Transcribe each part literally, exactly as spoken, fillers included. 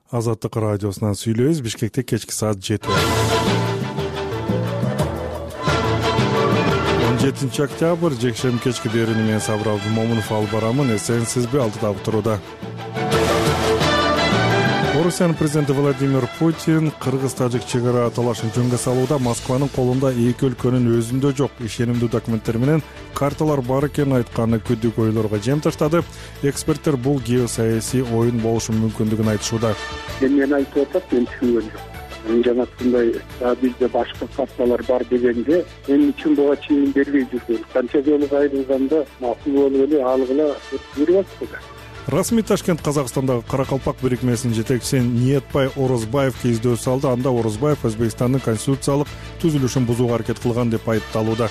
Азаттык радиосунан сүйлөйбүз. Бишкекте кечки саат жети. он жетинчи октябрь жекшемби кечки берүүнү мен Сабыр Абдумомунов алып барамын. Эсенсизби? Алдыда туруда. Орусиянын президенти Владимир Путин кыргыз-тажик чек-ара талашын жөнгө салууда Москванын колунда эки өлкөнүн өзүндө жок ишенимдүү документтер менен карталар бар экенин айтканы күдүк ойлорго жем таштады. Эксперттер бул геосаясий оюн болушу мүмкүндүгүн айтышууда. Мен айтып атат, мен түшүнгөн жок. Жанагындай бизде башка карталар бар дегенде эмне үчүн буга чейин бербей жүргөн? Канча жолу кайрылганда макул болуп эле алгыла берип атты. Расмий Ташкент Казакстандагы Каракалпак бирикмесинин жетекчиси Ниетбай Орозбаевге издөө салды. Анда Орозбаев Өзбекстандын конституциялык түзүлүшүн бузууга аракет кылган деп айыпталууда.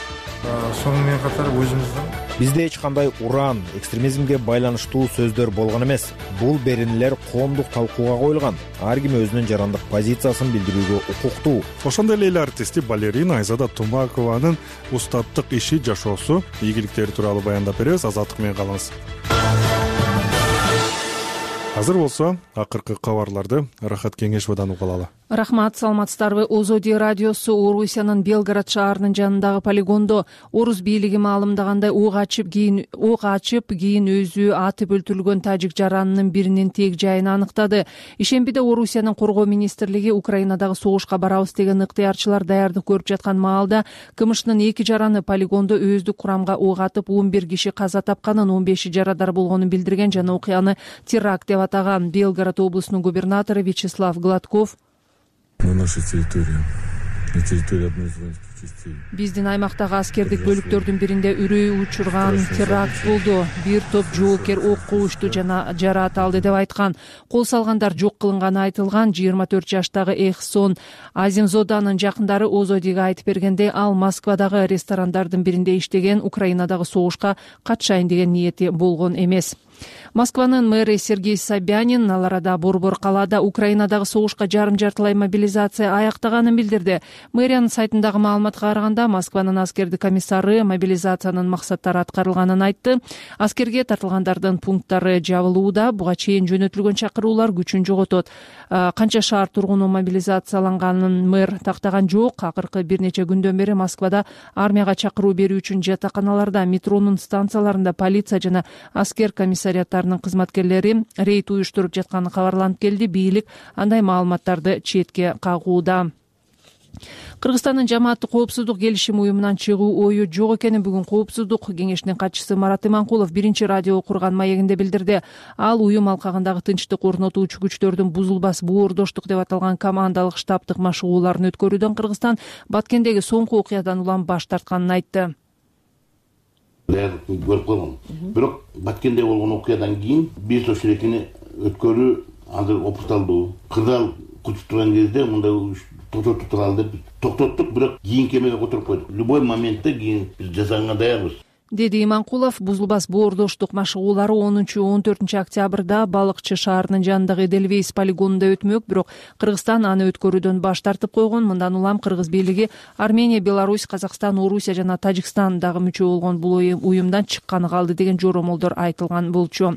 Сонун менен катар өзүбүздүн бизде эч кандай уран, экстремизмге байланыштуу сөздөр болгон эмес. Бул беренелер коомдук талкууга коюлган. Ар ким өзүнүн жарандык позициясын билдирүүгө укуктуу. Ошондой эле эл артисти балерина Айзада Тумакованын устаттык иши, жашоосу, ийгиликтери тууралуу баяндап беребиз. Азаттык менен калыңыз. Азыр болсо акыркы кабарларды Рахат Кеңешовдон угулалы. Рахмат, саламатсыздарбы? Озоди радиосу Орусиянын Белгород шаарынын жанындагы полигондо орус бийлиги маалымдагандай ок ачып кийин ок ачып кийин өзү атып өлтүрүлгөн тажик жаранынын биринин тег жайын аныктады. Ишембиде Орусиянын коргоо министрлиги Украинадагы согушка барабыз деген ыктыярчылар даярдык көрүп жаткан маалда КМШнын эки жараны полигондо өздүк курамга ок атып он бир киши каза тапканын, он беши жарадар болгонун билдирген жана окуяны теракт деп атаган. Белгород облусунун губернатору Вячеслав Гладков на нашей территории, на территории одной из воинских частей. Биздин аймактагы аскердик бөлүктөрдүн биринде үрөй учурган теракт болду. Бир топ жоокер окко учту жана жараат алды деп айткан. Кол салгандар жок кылынганы айтылган. жыйырма төрт жаштагы Эхсон Азимзоданын жакындары Озодиге айтып бергенде, ал Москвадагы ресторандардын биринде иштеген, Украинадагы согушка катышайын деген ниети болгон эмес. Москванын мэри Сергей Собянин ал арада Борбор калаада Украинадагы согушка жарым-жартылай мобилизация аяктаганын билдирди. Мэриянын сайтындагы маалыматка караганда, Москванын аскердик комиссары мобилизациянын максаттары аткарылганын айтты. Аскерге тартылгандардын пункттары жабылууда. Буга чейин жөнөтүлгөн чакыруулар күчүн жоготот. Канча шаар тургуну мобилизацияланганын мэр тактаган жок. Акыркы бир нече күндөн бери Москвада армияга чакыруу берүү үчүн жатаканаларда, метронун станцияларында полиция жана аскер комиссариаттарынын кызматкерлери рейд уюштуруп жатканы кабарланып келди. Бийлик андай маалыматтарды четке кагууда. Кыргызстандын жамааттык коопсуздук келишим уюмунан чыгуу ою жок экенин бүгүн Коопсуздук кеңешинин катчысы Марат Иманкулов биринчи радио окурган маегинде билдирди. Ал уюм алкагындагы тынчтык орнотуучу күчтөрдүн бузулбас боордоштук деп аталган командалык штабтык машыгууларын өткөрүүдөн Кыргызстан Баткендеги соңку окуядан улам баш тартканын айтты. Даярдык көрүп калган. Бирок Баткенде болгон окуядан кийин биз ошол экени өткөрүү азыр опукталдуу. Кырдаал күтүп турган кезде мындай токтотуп туралы деп токтоттук, бирок кийинки эмеге которуп койдук. Любой моментте кийин биз жазаганга даярбыз, деди Иманкулов. Бузулбас боордоштук машыгуулары онунчу он төртүнчү октябрда Балыкчы шаарынын жанындагы Эдельвейс полигонунда өтмөк, бирок Кыргызстан аны өткөрүүдөн баш тартып койгон. Мындан улам кыргыз бийлиги Армения, Беларусь, Казакстан, Орусия жана Тажикстан дагы мүчө болгон бул уюмдан чыкканы калды деген жоромолдор айтылган болчу.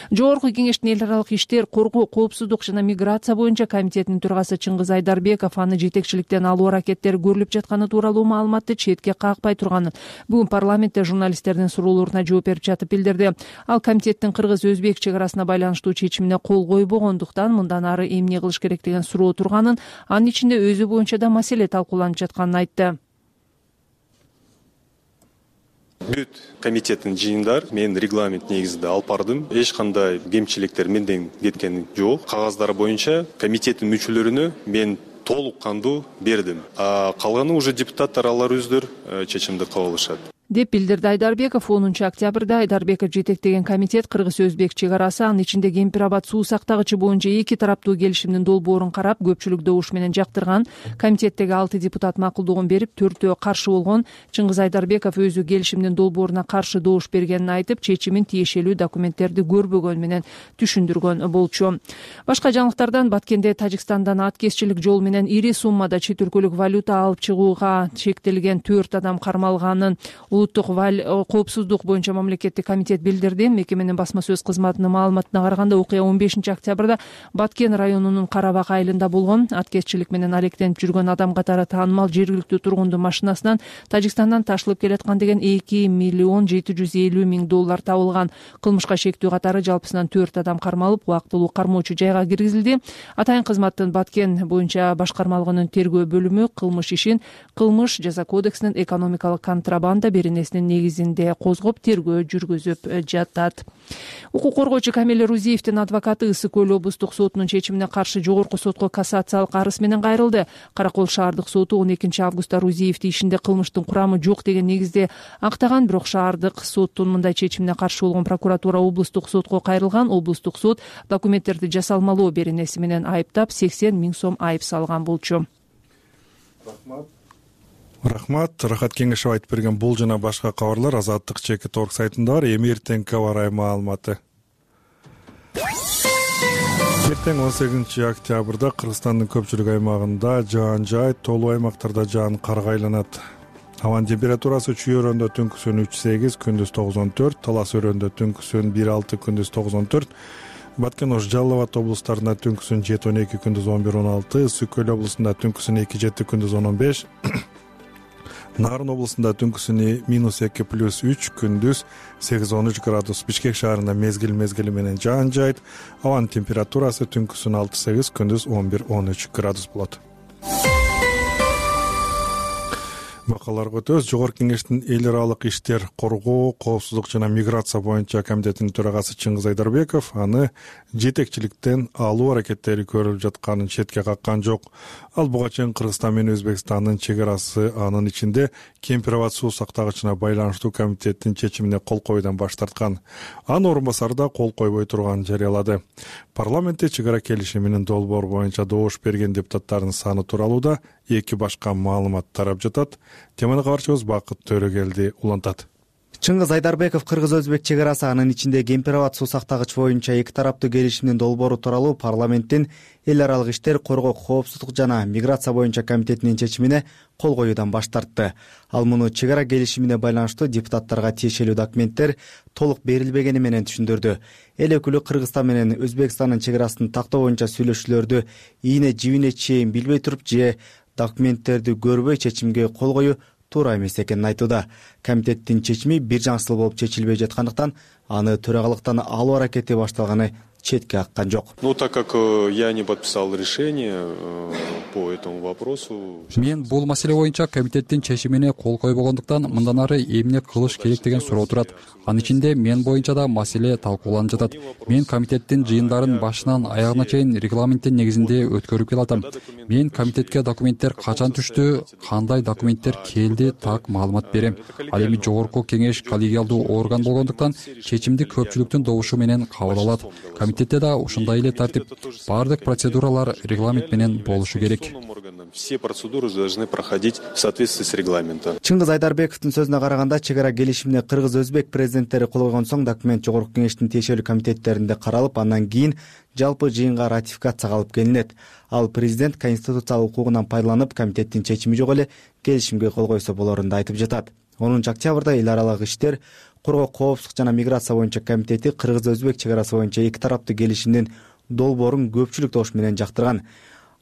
Жогорку кеңештин эл аралык иштер, коргоо, коопсуздук жана миграция боюнча комитетинин төрагасы Чыңгыз Айдарбеков аны жетекчиликтен алуу аракеттери көрүлүп жатканы тууралуу маалыматты четке какпай турганын бүгүн парламентте журналист суроолоруна жооп берип жатып билдирди. Ал комитеттин кыргыз-өзбек чек арасына байланыштуу чечимине кол койбогондуктан мындан ары эмне кылыш керек деген суроо турганын, анын ичинде өзү боюнча да маселе талкууланып жатканын айтты. Бүт комитеттин жыйындар мен регламент негизинде алып бардым. Эч кандай кемчиликтер менден кеткен жок. Кагаздары боюнча комитеттин мүчөлөрүнө мен толук кандуу бердим. А калганы уже депутаттар алар өздөрү чечимди кабыл алышат. деп билдирди Айдарбеков. онунчу октябрда Айдарбеков жетектеген комитет кыргыз-өзбек чек арасы, анын ичинде Кемпир-Абад суу сактагычы боюнча эки тараптуу келишимдин долбоорун карап, көпчүлүк добуш менен жактырган. Комитеттеги алты депутат макулдугун берип, төртөө каршы болгон. Чыңгыз Айдарбеков өзү келишимдин долбооруна каршы добуш бергенин айтып, чечимин тиешелүү документтерди көрбөгөн менен түшүндүргөн болчу. Башка жаңылыктардан Баткенде Тажикстандан аткезчилик жол менен ири суммада чет өлкөлүк валюта алып чыгууга чектелген төрт адам кармалганын, улуттук коопсуздук боюнча мамлекеттик комитет билдирди. Мекеменин басма сөз кызматынын маалыматына караганда окуя он бешинчи октябрда Баткен районунун Карабак айылында болгон. Аткезчилик менен алектенип жүргөн адам катары таанымал жергиликтүү тургундун машинасынан Тажикстандан ташылып келаткан деген эки миллион жети жүз элүү миң доллар табылган. Кылмышка шектүү катары жалпысынан төрт адам кармалып, убактылуу кармоочу жайга киргизилди. Атайын кызматтын Баткен боюнча башкармалыгынын тергөө бөлүмү кылмыш ишин кылмыш жаза кодексинин экономикалык контрабанда беренесинин негизинде козгоп тергөө жүргүзүп жатат. Укук коргоочу Камил Рузиевдин адвокаты Ысык Көл облустук сотунун чечимине каршы жогорку сотко кассациялык арыз менен кайрылды. Каракол шаардык соту он экинчи августта Рузиевди ишинде кылмыштын курамы жок деген негизде актаган, бирок шаардык соттун мындай чечимине каршы болгон прокуратура облустук сотко кайрылган. Облустук сот документтерди жасалмалоо беренеси менен айыптап сексен миң сом айып салган болчу. Рахмат. Рахмат. Рахат Кеңешев айтып берген бул жана башка кабарлар Азаттык чекит орг сайтында бар. Эми эртеңки аба ырайы маалыматы. Эртең он сегизинчи октябрда Кыргызстандын көпчүлүк аймагында жаан жаайт, толуу аймактарда жаан карга айланат. Абанын температурасы чүй өрөөндө түнкүсүн үч сегиз, күндүз тогуз он төрт, Талас өрөөндө түнкүсүн бир алты, күндүз тогуз он төрт, Баткен Ош Жалал Абад облустарында түнкүсүн жети он эки, күндүз он бир он алты, Ысык Көл облусунда түнкүсүн эки жети, күндүз он он беш, Нарын облусунда түнкүсүн минус эки плюс үч, күндүз сегиз он үч градус. Бишкек шаарында мезгил мезгили менен жаан жаайт. Абанын температурасы түнкүсүн алты сегиз, күндүз он бир он үч градус болот. Бакаларга өтөбүз. Жогорку Кеңештин эл аралык иштер, коргоо, коопсуздук жана миграция боюнча комитетинин төрагасы Чыңгыз Айдарбеков аны жетекчиликтен алуу аракеттери көрүлүп жатканын четке каккан жок. Ал буга чейин Кыргызстан менен Өзбекстандын чек арасы, анын ичинде Кемпир Абад суу сактагычына байланыштуу комитеттин чечимине кол коюудан баш тарткан. Анын орун басары да кол койбой турганын жарыялады. Парламентте чек ара келишиминин долбоор боюнча добуш берген депутаттардын саны тууралуу да эки башка маалымат тарап жатат. Теманы кабарчыбыз Бакыт Төрөгелди улантат. Чыңгыз Айдарбеков кыргыз-өзбек чек арасы, анын ичинде Кемпир Абад суу сактагыч боюнча эки тараптуу келишимдин долбоору тууралуу парламенттин эл аралык иштер, коргоо, коопсуздук жана миграция боюнча комитетинин чечимине кол коюудан баш тартты. Ал муну чек ара келишимине байланыштуу депутаттарга тиешелүү документтер толук берилбегени менен түшүндүрдү. Эл өкүлү Кыргызстан менен Өзбекстандын чек арасын тактоо боюнча сүйлөшүүлөрдү ийне жибине чейин билбей туруп же документтерди көрбөй чечимге кол коюу туура эмес экенин айтууда. Комитеттин чечими бир жаңсыл болуп чечилбей жаткандыктан аны төрагалыктан алуу аракети башталганы четке каккан жок. Ну, так как я не подписал решение по этому вопросу. Мен бул маселе боюнча комитеттин чечимине кол койбогондуктан мындан ары эмне кылыш керек деген суроо турат. Анын ичинде мен боюнча да маселе талкууланып жатат. Мен комитеттин жыйындарын башынан аягына чейин регламенттин негизинде өткөрүп келатам. Мен комитетке документтер качан түштү, кандай документтер келди, так маалымат берем. Ал эми жогорку кеңеш коллегиалдуу орган болгондуктан чечимди көпчүлүктүн добушу менен кабыл алат. Комитетте да ушундай эле тартип, баардык процедуралар регламент менен болушу керек. Все процедуры должны проходить в соответствии с регламентом. Чыңгыз Айдарбековдун сөзүнө караганда, чек ара келишимине кыргыз-өзбек президенттери кол койгон соң документ жогорку кеңештин тиешелүү комитеттеринде каралып, андан кийин жалпы жыйынга ратификацияга алып келинет. Ал президент конституциялык укугунан пайдаланып, комитеттин чечими жок эле келишимге кол койсо болорун да айтып жатат. онунчу октябрда эл аралык иштер, коргоо, коопсуздук жана миграция боюнча комитети кыргыз-өзбек чек арасы боюнча эки тараптуу келишимдин долбоорун көпчүлүк добуш менен жактырган.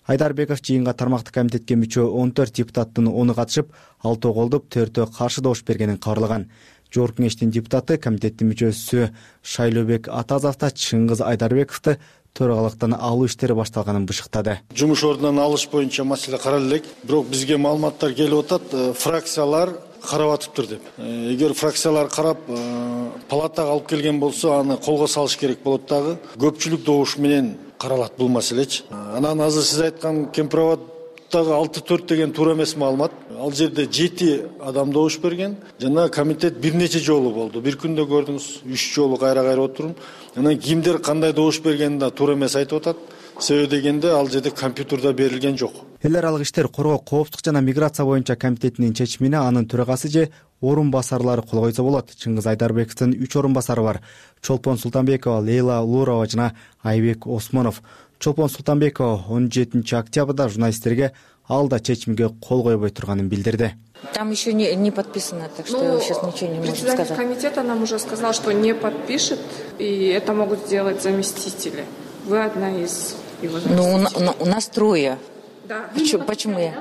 Айдарбеков жыйынга тармактык комитетке мүчө он төрт депутаттын ону катышып, алтөө колдоп, төртөө каршы добуш бергенин кабарлаган. Жогорку кеңештин депутаты, комитеттин мүчөсү Шайлообек Атазов да Чыңгыз Айдарбековду төрагалыктан алуу иштери башталганын бышыктады. Жумуш ордунан алыш боюнча маселе каралып элек, бирок бизге маалыматтар келип атат, фракциялар карап атыптыр деп. Эгер фракциялар карап палатага алып келген болсо, аны колго салыш керек болот дагы. Көпчүлүк добуш менен каралат бул маселечи. Анан азыр сиз айткан Кемпир Абаддагы алты төрт деген туура эмес маалымат. Ал жерде жети адам добуш берген жана комитет бир нече жолу болду. Бир күндө көрдүңүз, үч жолу кайра-кайра отурум. Анан кимдер кандай добуш бергенин да туура эмес айтып атат. Себеби дегенде ал жерде компьютерде берилген жок. Эл аралык иштер, коргоо, коопсуздук жана миграция боюнча комитетинин чечимине анын төрагасы же орун басарлары кол койсо болот. Чыңгыз Айдарбековдун үч орун басары бар. Чолпон Султанбекова, Лейла Улурова жана Айбек Осмонов. Чолпон Султанбекова он жетинчи октябрда журналисттерге ал да чечимге кол койбой турганын билдирди. Там еще не, не подписано, так что ну, сейчас ничего не можем сказать. Председатель комитета нам уже сказал, что не подпишет, и это могут сделать заместители. Вы одна из его заместителей. Ну, у, у нас трое. Да. Почему, почему я?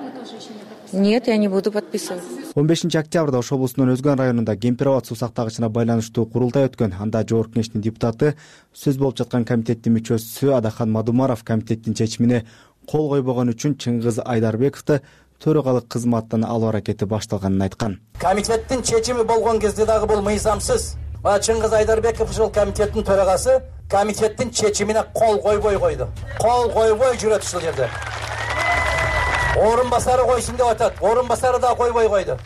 Нет, я не буду подписывать. он бешинчи октябрда Ош облусунун Өзгөн районунда Кемпир-Абад суу сактагычына байланыштуу курултай өткөн. Анда жогорку кеңештин депутаты, сөз болуп жаткан комитеттин мүчөсү Адахан Мадумаров комитеттин чечимине кол койбогон үчүн Чыңгыз Айдарбековду төрөгалык кызматтан алуу аракети башталганын айткан. Комитеттин чечими болгон кезде дагы бул мыйзамсыз. Чыңгыз Айдарбеков ушул комитеттин төрагасы комитеттин чечимине кол койбой койду. Кол койбой жүрөт ушул жерде. Орун басары койсун деп атат. Орун басары да койбой койду.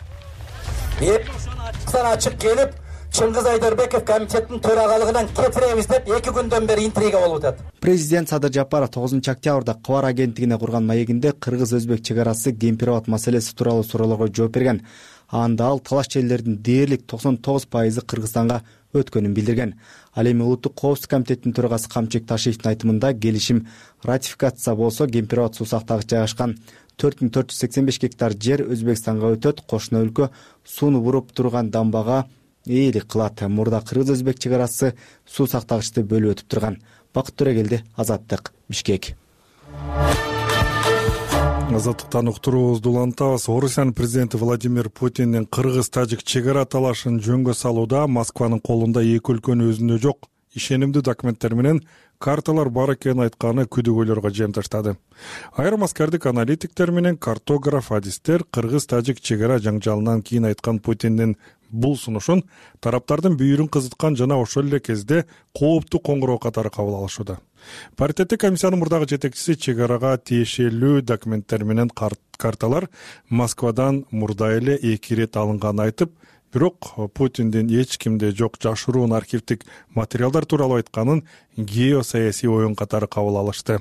Эптен ачык келип, Чыңгыз Айдарбеков комитеттин төрагалыгынан кетиребиз деп эки күндөн бери интрига болуп атат. Президент Садыр Жапаров тогузунчу октябрда Кыбар агенттигине курган маегинде кыргыз-өзбек чек арасы Кемпир-Абад маселеси тууралуу суроолорго жооп берген. Анда ал талаш жерлердин дээрлик токсон тогуз пайызы Кыргызстанга өткөнүн билдирген. Ал эми Улуттук коопсуздук комитетинин төрагасы Камчек Ташиевдин айтымында келишим ратификация болсо Кемпир-Абад суу сактагычы жайгашкан төрт миң төрт жүз сексен беш гектар жер Өзбекстанга өтөт. Кошуна өлкө сууну буруп турган дамбага ээлик кылат. Мурда кыргыз-өзбек чек арасы суу сактагычты бөлүп өтүп турган. Бакыт Төрөгелди, Азаттык, Бишкек. Азаттыктан уктуруубузду улантабыз. Орусиянын президенти Владимир Путиндин кыргыз-тажик чек ара талашын жөнгө салууда Москванын колунда эки өлкөнүн өзүндө жок ишенимдүү документтер менен карталар бар экенин айтканы күдүгөйлөргө жем таштады. Айрым аскардык аналитиктер менен картограф адистер кыргыз-тажик чек ара жаңжалынан кийин айткан Путиндин бул сунушун тараптардын бүйүрүн кызыткан жана ошол эле кезде кооптуу коңгуроо катары кабыл алышууда. Паритеттик комиссиянын мурдагы жетекчиси чек арага тиешелүү документтер менен карталар Москвадан мурда эле эки ирет алынганын айтып, бирок Путиндин эч кимде жок жашыруун архивдик материалдар тууралуу айтканын геосаясий оюн катары кабыл алышты.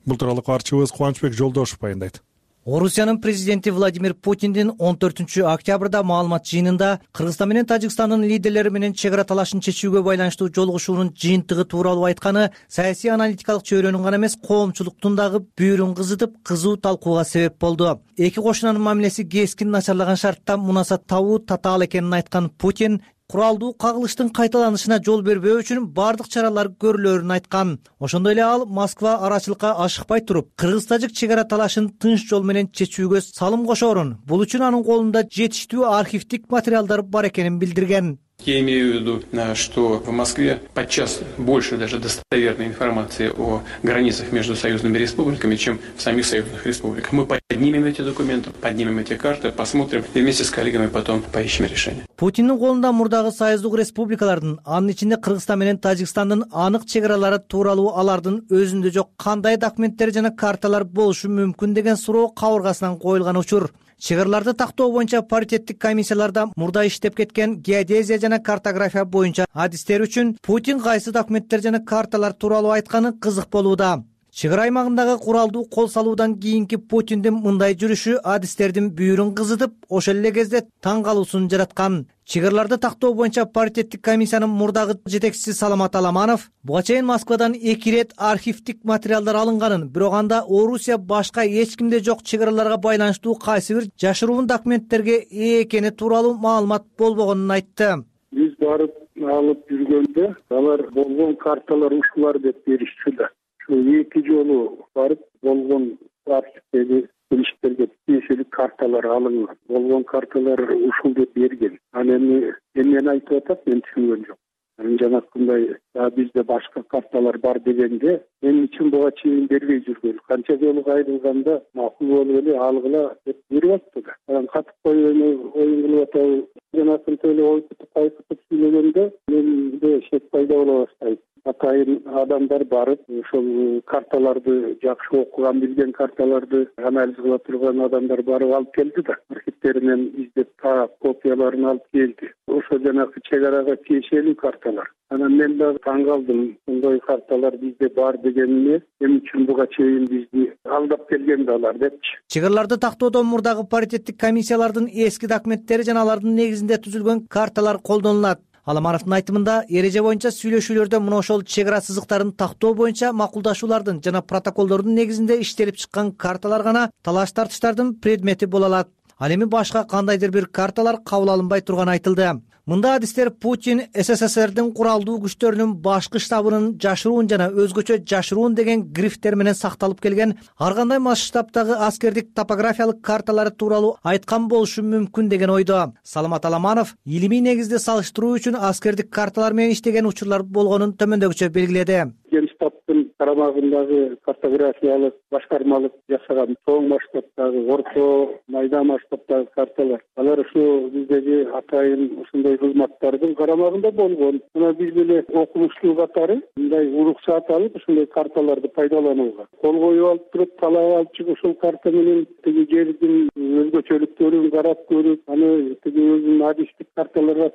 Бул тууралуу каарчыбыз Кубанычбек Жолдошев баяндайт. Орусиянын президенти Владимир Путиндин он төртүнчү октябрда маалымат жыйынында Кыргызстан менен Тажикстандын лидерлери менен чек ара талашын чечүүгө байланыштуу жолугушуунун жыйынтыгы тууралуу айтканы саясий аналитикалык чөйрөнүн гана эмес, коомчулуктун дагы бүйүрүн кызытып, кызуу талкууга себеп болду. Эки кошунанын мамилеси кескин начарлаган шартта мунасат табуу татаал экенин айткан Путин куралдуу кагылыштын кайталанышына жол бербөө үчүн бардык чаралар көрүлөрүн айткан. Ошондой эле ал Москва арачылыкка ашыкпай туруп, кыргыз-тажик чек ара талашын тынч жол менен чечүүгө салым кошоорун, бул үчүн анын колунда жетиштүү архивдик материалдар бар экенин билдирген. Я имею в виду, что в Москве подчас больше даже достоверной информации о границах между союзными республиками, чем в самих союзных республиках. Мы поднимем эти документы, поднимем эти карты, посмотрим и вместе с коллегами потом поищем решение. Путиндин колунда мурдагы союздук республикалардын, анын ичинде Кыргызстан менен Тажикстандын анык чек аралары тууралуу алардын өзүндө жок кандай документтер жана карталар болушу мүмкүн деген суроо кабыргасынан коюлган учур. Чек араларды тактоо боюнча паритеттик комиссияларда мурда иштеп кеткен геодезия жана картография боюнча адистер үчүн Путин кайсы документтер жана карталар тууралуу айтканы кызык болууда. Чек ара аймагындагы куралдуу кол салуудан кийинки Путиндин мындай жүрүшү адистердин бүйүрүн кызытып, ошол эле кезде таң калуусун жараткан. Чек араларды тактоо боюнча паритеттик комиссиянын мурдагы жетекчиси Саламат Аламанов буга чейин Москвадан эки ирет архивдик материалдар алынганын, бирок анда Орусия башка эч кимде жок чек араларга байланыштуу кайсы бир жашыруун документтерге ээ экени тууралуу маалымат болбогонун айтты. Биз барып алып жүргөндө алар болгон карталар ушулар деп беришчү да. Эки жолу барып болгон архивдеги кириштерге тиешелүү карталар алынган. Болгон карталар ушул деп берген. Ал эми эмнени айтып атат, мен түшүнгөн жок. Жанакындай бизде башка карталар бар дегенде, эмне үчүн буга чейин бербей жүргөн? Канча жолу кайрылганда макул болуп эле алгыла деп берип атты да. Анан катып койгону оюн кылып атабы. Жанакындай эле ойкутуп кайкытып сүйлөгөндө менде шек пайда боло баштайт. Атайын адамдар барып, ошол карталарды жакшы окуган, билген карталарды анализ кыла турган адамдар барып алып келди да. Архивтеринен издеп, таап, копияларын алып келди. Ошо жанакы чек арага тиешелүү карталар. Анан мен дагы таң калдым, мындай карталар бизде бар дегенине, эмне үчүн буга чейин бизди алдап келген да алар депчи. Чек араларды тактоодо мурдагы паритеттик комиссиялардын эски документтери жана алардын негизинде түзүлгөн карталар колдонулат. Аламановдун айтымында эреже боюнча сүйлөшүүлөрдө мына ошол чек ара сызыктарын тактоо боюнча макулдашуулардын жана протоколдордун негизинде иштелип чыккан карталар гана талаш тартыштардын предмети боло алат. Ал эми башка кандайдыр бир карталар кабыл алынбай турганы айтылды. Мында адистер Путин СССРдин куралдуу күчтөрүнүн башкы штабынын жашыруун жана өзгөчө жашыруун деген грифтер менен сакталып келген ар кандай масштабтагы аскердик топографиялык карталары тууралуу айткан болушу мүмкүн деген ойдо. Саламат Аламанов илимий негизде салыштыруу үчүн аскердик карталар менен иштеген учурлар болгонун төмөндөгүчө белгиледи. Генштабтын карамагындагы картографиялык башкармалык жасаган чоң масштабтагы, орто, майда масштабтагы карталар, алар ушу биздеги атайын ушундай кызматтардын карамагында болгон. Мына биз деле окумуштуу катары мындай уруксаат алып ушундай карталарды пайдаланууга кол коюп алып туруп, талап алып чыгып ушул карта менен тиги жердин өзгөчөлүктөрүн карап көрүп, аны тиги өзүнүн адистик карталарга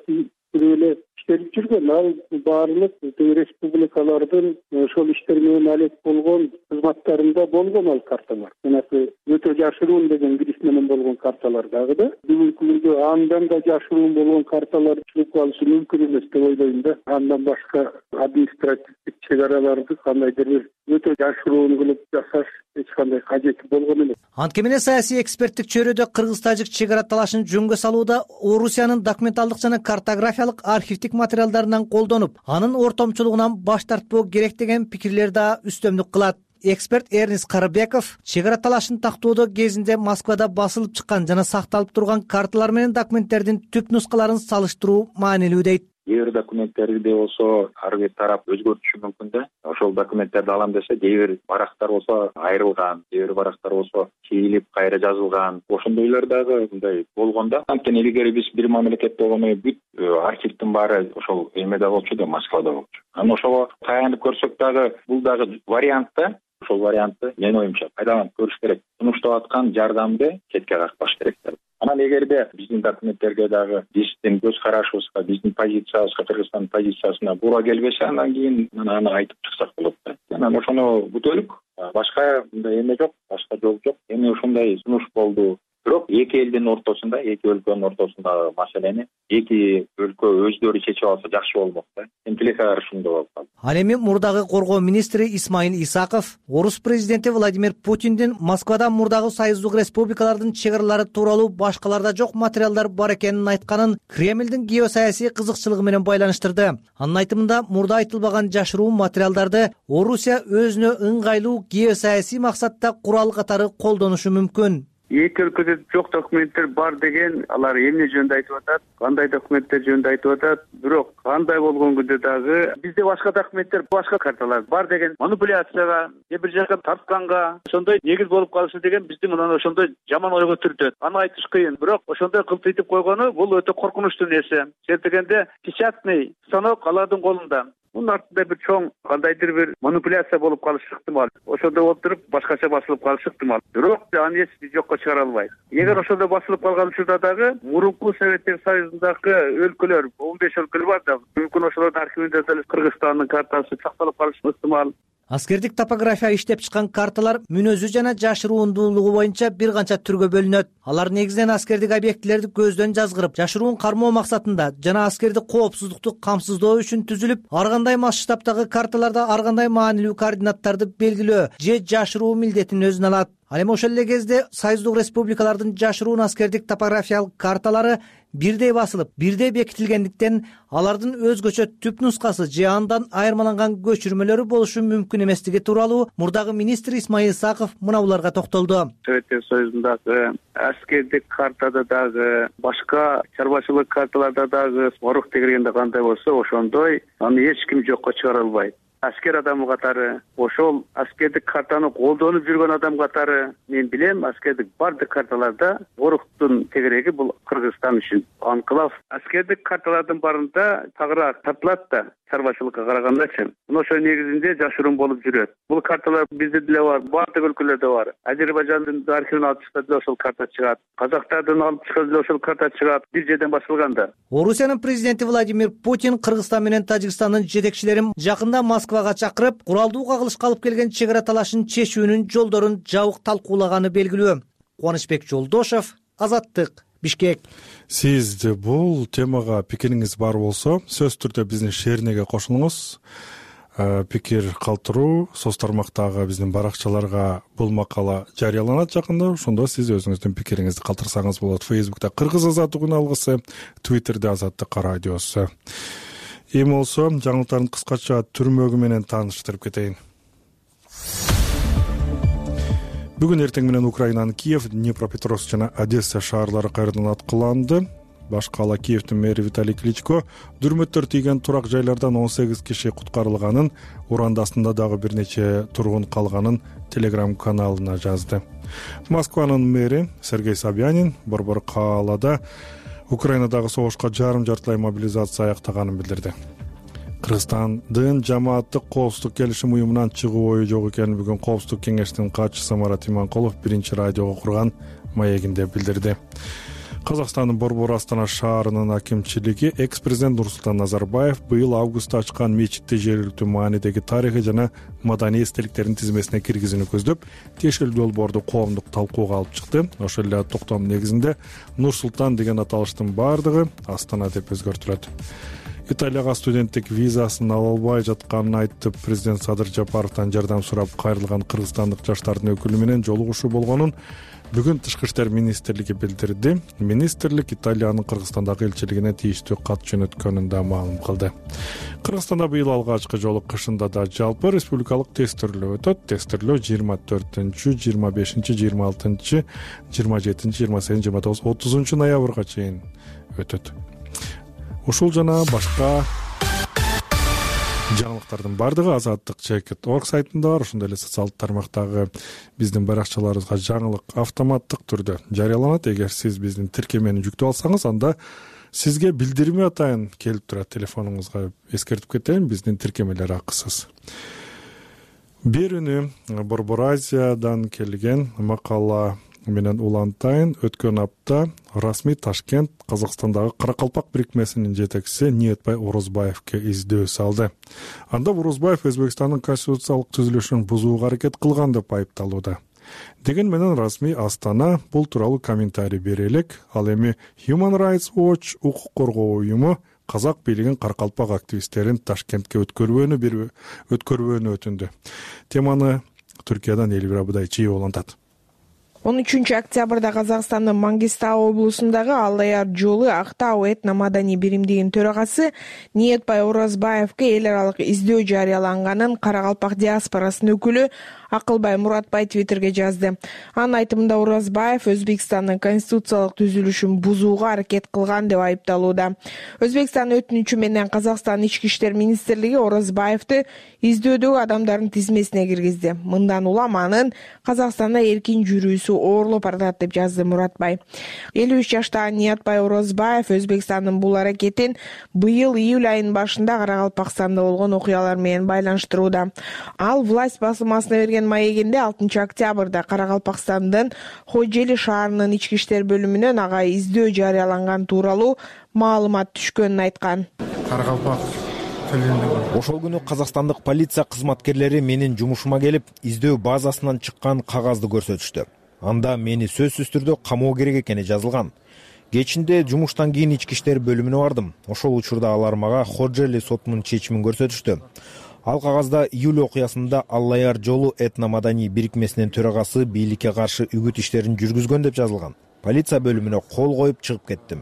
эле иштелип жүргөн. Ал баардык республикалардын ошол иштер менен алек болгон кызматтарында болгон ал карталар. Жанагы өтө жашыруун деген гриф менен болгон карталар дагы да бүгүнкү күндө андан да жашыруун болгон карталар чыгып калышы мүмкүн эмес деп ойлойм да. Андан башка административдик чек араларды кандайдыр бир өтө жашыруун кылып жасаш эч кандай кажети болгон эмес. Анткени саясий эксперттик чөйрөдө кыргыз-тажик чек ара талашын жөнгө салууда Орусиянын документалдык жана картографиялык архивдик материалдарынан колдонуп, анын ортомчулугунан баш тартпоо керек деген пикирлер да үстөмдүк кылат. Эксперт Эрнис Карыбеков чек ара талашын тактоодо кезинде Москвада басылып чыккан жана сакталып турган карталар менен документтердин түп нускаларын салыштыруу маанилүү дейт. Кээ бир документтерди болсо ар бир тарап өзгөртүшү мүмкүн да. Ошол документтерди алам десе, кээ бир барактар болсо айрылган, кээ бир барактар болсо чийилип кайра жазылган. Ошондойлор дагы мындай болгон да. Анткени илгери биз бир мамлекет болгону бүт архивдин баары ошол эмеде болчу да, Москвада болчу. Анан ошого таянып көрсөк дагы бул дагы вариант да. Ошол вариантты менин оюмча пайдаланып көрүш керек. Сунуштап аткан жардамды четке какпаш керек. Анан эгерде биздин документтерге дагы биздин көз карашыбызга, биздин позициябызга, Кыргызстандын позициясына туура келбесе, андан кийин аны айтып чыксак болот да. Анан ошону күтөлүк. Башка мындай эме жок, башка жол жок. Эми ушундай сунуш болду. Бирок эки элдин ортосунда, эки өлкөнүн ортосундагы маселени эки өлкө өздөрү чечип алса жакшы болмок да. Тинчиликке каршы болуп калды. Ал эми мурдагы коргоо министри Исмаил Исаков орус президенти Владимир Путиндин Москвада мурдагы союздук республикалардын чек аралары тууралуу башкаларда жок материалдар бар экенин айтканын Кремлдин геосаясий кызыкчылыгы менен байланыштырды. Анын айтымында мурда айтылбаган жашыруун материалдарды Орусия өзүнө ыңгайлуу геосаясий максатта курал катары колдонушу мүмкүн. Эки өлкөдө жок документтер бар деген, алар эмне жөнүндө айтып атат, кандай документтер жөнүндө айтып атат. Бирок кандай болгон күндө дагы бизде башка документтер, башка карталар бар деген манипуляцияга, же бир жака тартканга ошондой негиз болуп калышы деген бизди мындан ошондой жаман ойго түртөт. Аны айтыш кыйын, бирок ошондой кылтыйтып койгону бул өтө коркунучтуу нерсе. Себеби печатный станок алардын колунда. Мунун артында бир чоң кандайдыр бир манипуляция болуп калышы ыктымал. Ошондой болуп туруп башкача басылып калышы ыктымал. Бирок аны эч биз жокко чыгара албайбыз. Эгер ошондой басылып калган учурда дагы мурунку Советтер Союзундагы өлкөлөр, он беш өлкө бар да, мүмкүн ошолордун архивинде деле Кыргызстандын картасы сакталып калышы ыктымал. Аскердик топография иштеп чыккан карталар мүнөзү жана жашыруундуулугу боюнча бир канча түргө бөлүнөт. Алар негизинен аскердик объектилерди көздөн жазгырып, жашыруун кармоо максатында жана аскерди коопсуздукту камсыздоо үчүн түзүлүп, ар кандай масштабтагы карталарда ар кандай маанилүү координаттарды белгилөө же жашыруу милдетин өзүнө алат. Ал эми ошол эле кезде союздук республикалардын жашыруун аскердик топографиялык карталары бирдей басылып, бирдей бекитилгендиктен алардын өзгөчө түп нускасы же андан айырмаланган көчүрмөлөрү болушу мүмкүн эместиги тууралуу мурдагы министр Исмаил Исаков мына буларга токтолду. Советтер Союзундагы аскердик картада дагы, башка чарбачылык карталарда дагы орук тегергенде кандай болсо, ошондой аны эч ким жокко чыгара албайт. Аскер адамы катары, ошол аскердик картаны колдонуп жүргөн адам катары мен билем, аскердик бардык карталарда оруктун тегереги бул Кыргызстан үчүн анклав. Аскердик карталардын барында тагыраак тартылат да, чарбачылыкка карагандачы. Мына ошол негизинде жашыруун болуп жүрөт. Бул карталар бизде деле бар, бардык өлкөлөрдө бар. Азербайжандын архивин алып чыкса деле ошол карта чыгат. Казактардын алып чыкса деле ошол карта чыгат. Бир жерден басылганда. Орусиянын президенти Владимир Путин Кыргызстан менен Тажикстандын жетекчилерин жакында Москвага чакырып, куралдуу кагылышка алып келген чек ара талашын чечүүнүн жолдорун жабык талкуулаганы белгилүү. Кубанычбек Жолдошев, Азаттык, Бишкек. Сиз бул темага пикириңиз бар болсо сөзсүз түрдө биздин шеринеге кошулуңуз. Пикир калтыруу соц тармактагы биздин баракчаларга бул макала жарыяланат жакында. Ошондо сиз өзүңүздүн пикириңизди калтырсаңыз болот. Фейсбукта Кыргыз Азаттык үн алгысы, Твиттерде Азаттык радиосу. Эми болсо жаңылыктардын кыскача түрмөгү менен тааныштырып кетейин. Бүгүн эртең менен Украинанын Киев, Днепропетровск жана Одесса шаарлары кайрадан аткыланды. Башка ала Киевдин мэри Виталий Кличко дүрмөттөр тийген турак жайлардан он сегиз киши куткарылганын, уранда астында дагы бир нече тургун калганын Telegram каналына жазды. Москванын мэри Сергей Собянин борбор каалада Украинадагы согушка жарым жартылай мобилизация аяктаганын билдирди. Кыргызстандын жамааттык коопсуздук келишим уюмунан чыгуу ою жок экенин бүгүн Коопсуздук кеңештин катчысы Марат Иманкулов биринчи радиого курган маегинде билдирди. Казакстандын Борбор Астана шаарынын акимчилиги экс-президент Нурсултан Назарбаев быйыл августта ачкан мечитти жергиликтүү маанидеги тарыхый жана маданий эстеликтердин тизмесине киргизүүнү көздөп, тиешелүү долбоорду коомдук талкууга алып чыкты. Ошол эле токтом негизинде Нурсултан деген аталыштын бардыгы Астана деп өзгөртүлөт. Италияга студенттик визасын ала албай жатканын айтып, президент Садыр Жапаровдон жардам сурап кайрылган кыргызстандык жаштардын өкүлү менен жолугушуу болгонун бүгүн Тышкы иштер министрлиги билдирди. Министрлик Италиянын Кыргызстандагы элчилигине тийиштүү кат жөнөткөнүн да маалым кылды. Кыргызстанда быйыл алгачкы жолу кышында да жалпы республикалык тестирлөө өтөт. Тестирлөө жыйырма төртүнчү, жыйырма бешинчи, жыйырма алтынчы, жыйырма жетинчи, жыйырма сегизинчи, жыйырма тогузунчу, отузунчу ноябрга чейин өтөт. Ушул жана башка жаңылыктардын бардыгы Азаттык чекит точка орг сайтында бар. Ошондой эле социалдык тармактагы биздин баракчаларыбызга жаңылык автоматтык түрдө жарыяланат. Эгер сиз биздин тиркемени жүктөп алсаңыз, анда сизге билдирме атайын келип турат. Телефонуңузга эскертип кетейин, биздин тиркемелер акысыз. Берүүнү Борбор Азиядан келген макала менен улантайын. Өткөн апта расмий Ташкент Казакстандагы Каракалпак бирикмесинин жетекчиси Ниетбай Орозбаевке издөө салды. Анда Орозбаев Өзбекстандын конституциялык түзүлүшүн бузууга аракет кылган деп айыпталууда. Деген менен расмий Астана бул тууралуу комментарий бере элек. Ал эми Human Rights Watch укук коргоо уюму казак бийлигин Каракалпак активисттерин Ташкентке өткөрбөөнү бир өткөрбөөнү өтүндү. Теманы Түркиядан Элвира Будайчиева улантат. он үчүнчү октябрда Казакстандын Мангистау облусундагы Аллаяр жолу Актау этно-маданий биримдигинин төрагасы Ниетбай Орозбаевке эл аралык издөө жарыяланганын Каракалпак диаспорасынын өкүлү Акылбай Муратбай Твиттерге жазды. Анын айтымында Орозбаев Өзбекстандын конституциялык түзүлүшүн бузууга аракет кылган деп айыпталууда. Өзбекстандын өтүнүчү менен Казакстандын ички иштер министрлиги Орозбаевди издөөдөгү адамдардын тизмесине киргизди. Мындан улам анын Казакстанда эркин жүрүүсү оорлоп баратат деп жазды Муратбай. элүү үч жаштагы Ниетбай Орозбаев Өзбекстандын бул аракетин быйыл июль айынын башында Каракалпакстанда болгон окуялар менен байланыштырууда. Ал власть басылмасына берген маегинде алтынчы октябрда Каракалпакстандын Хожели шаарынын ички иштер бөлүмүнөн ага издөө жарыяланган тууралуу маалымат түшкөнүн айткан. Каракалпак Ошол күнү казакстандык полиция кызматкерлери менин жумушума келип, издөө базасынан чыккан кагазды көрсөтүштү. Анда мени сөзсүз түрдө камоо керек экени жазылган. Кечинде жумуштан кийин ички иштер бөлүмүнө бардым. Ошол учурда алар мага Ходжели сотунун чечимин көрсөтүштү. Ал кагазда июль окуясында Аллаяр жолу этно-маданий бирикмесинин төрагасы бийликке каршы үгүт иштерин жүргүзгөн деп жазылган. Полиция бөлүмүнө кол коюп чыгып кеттим.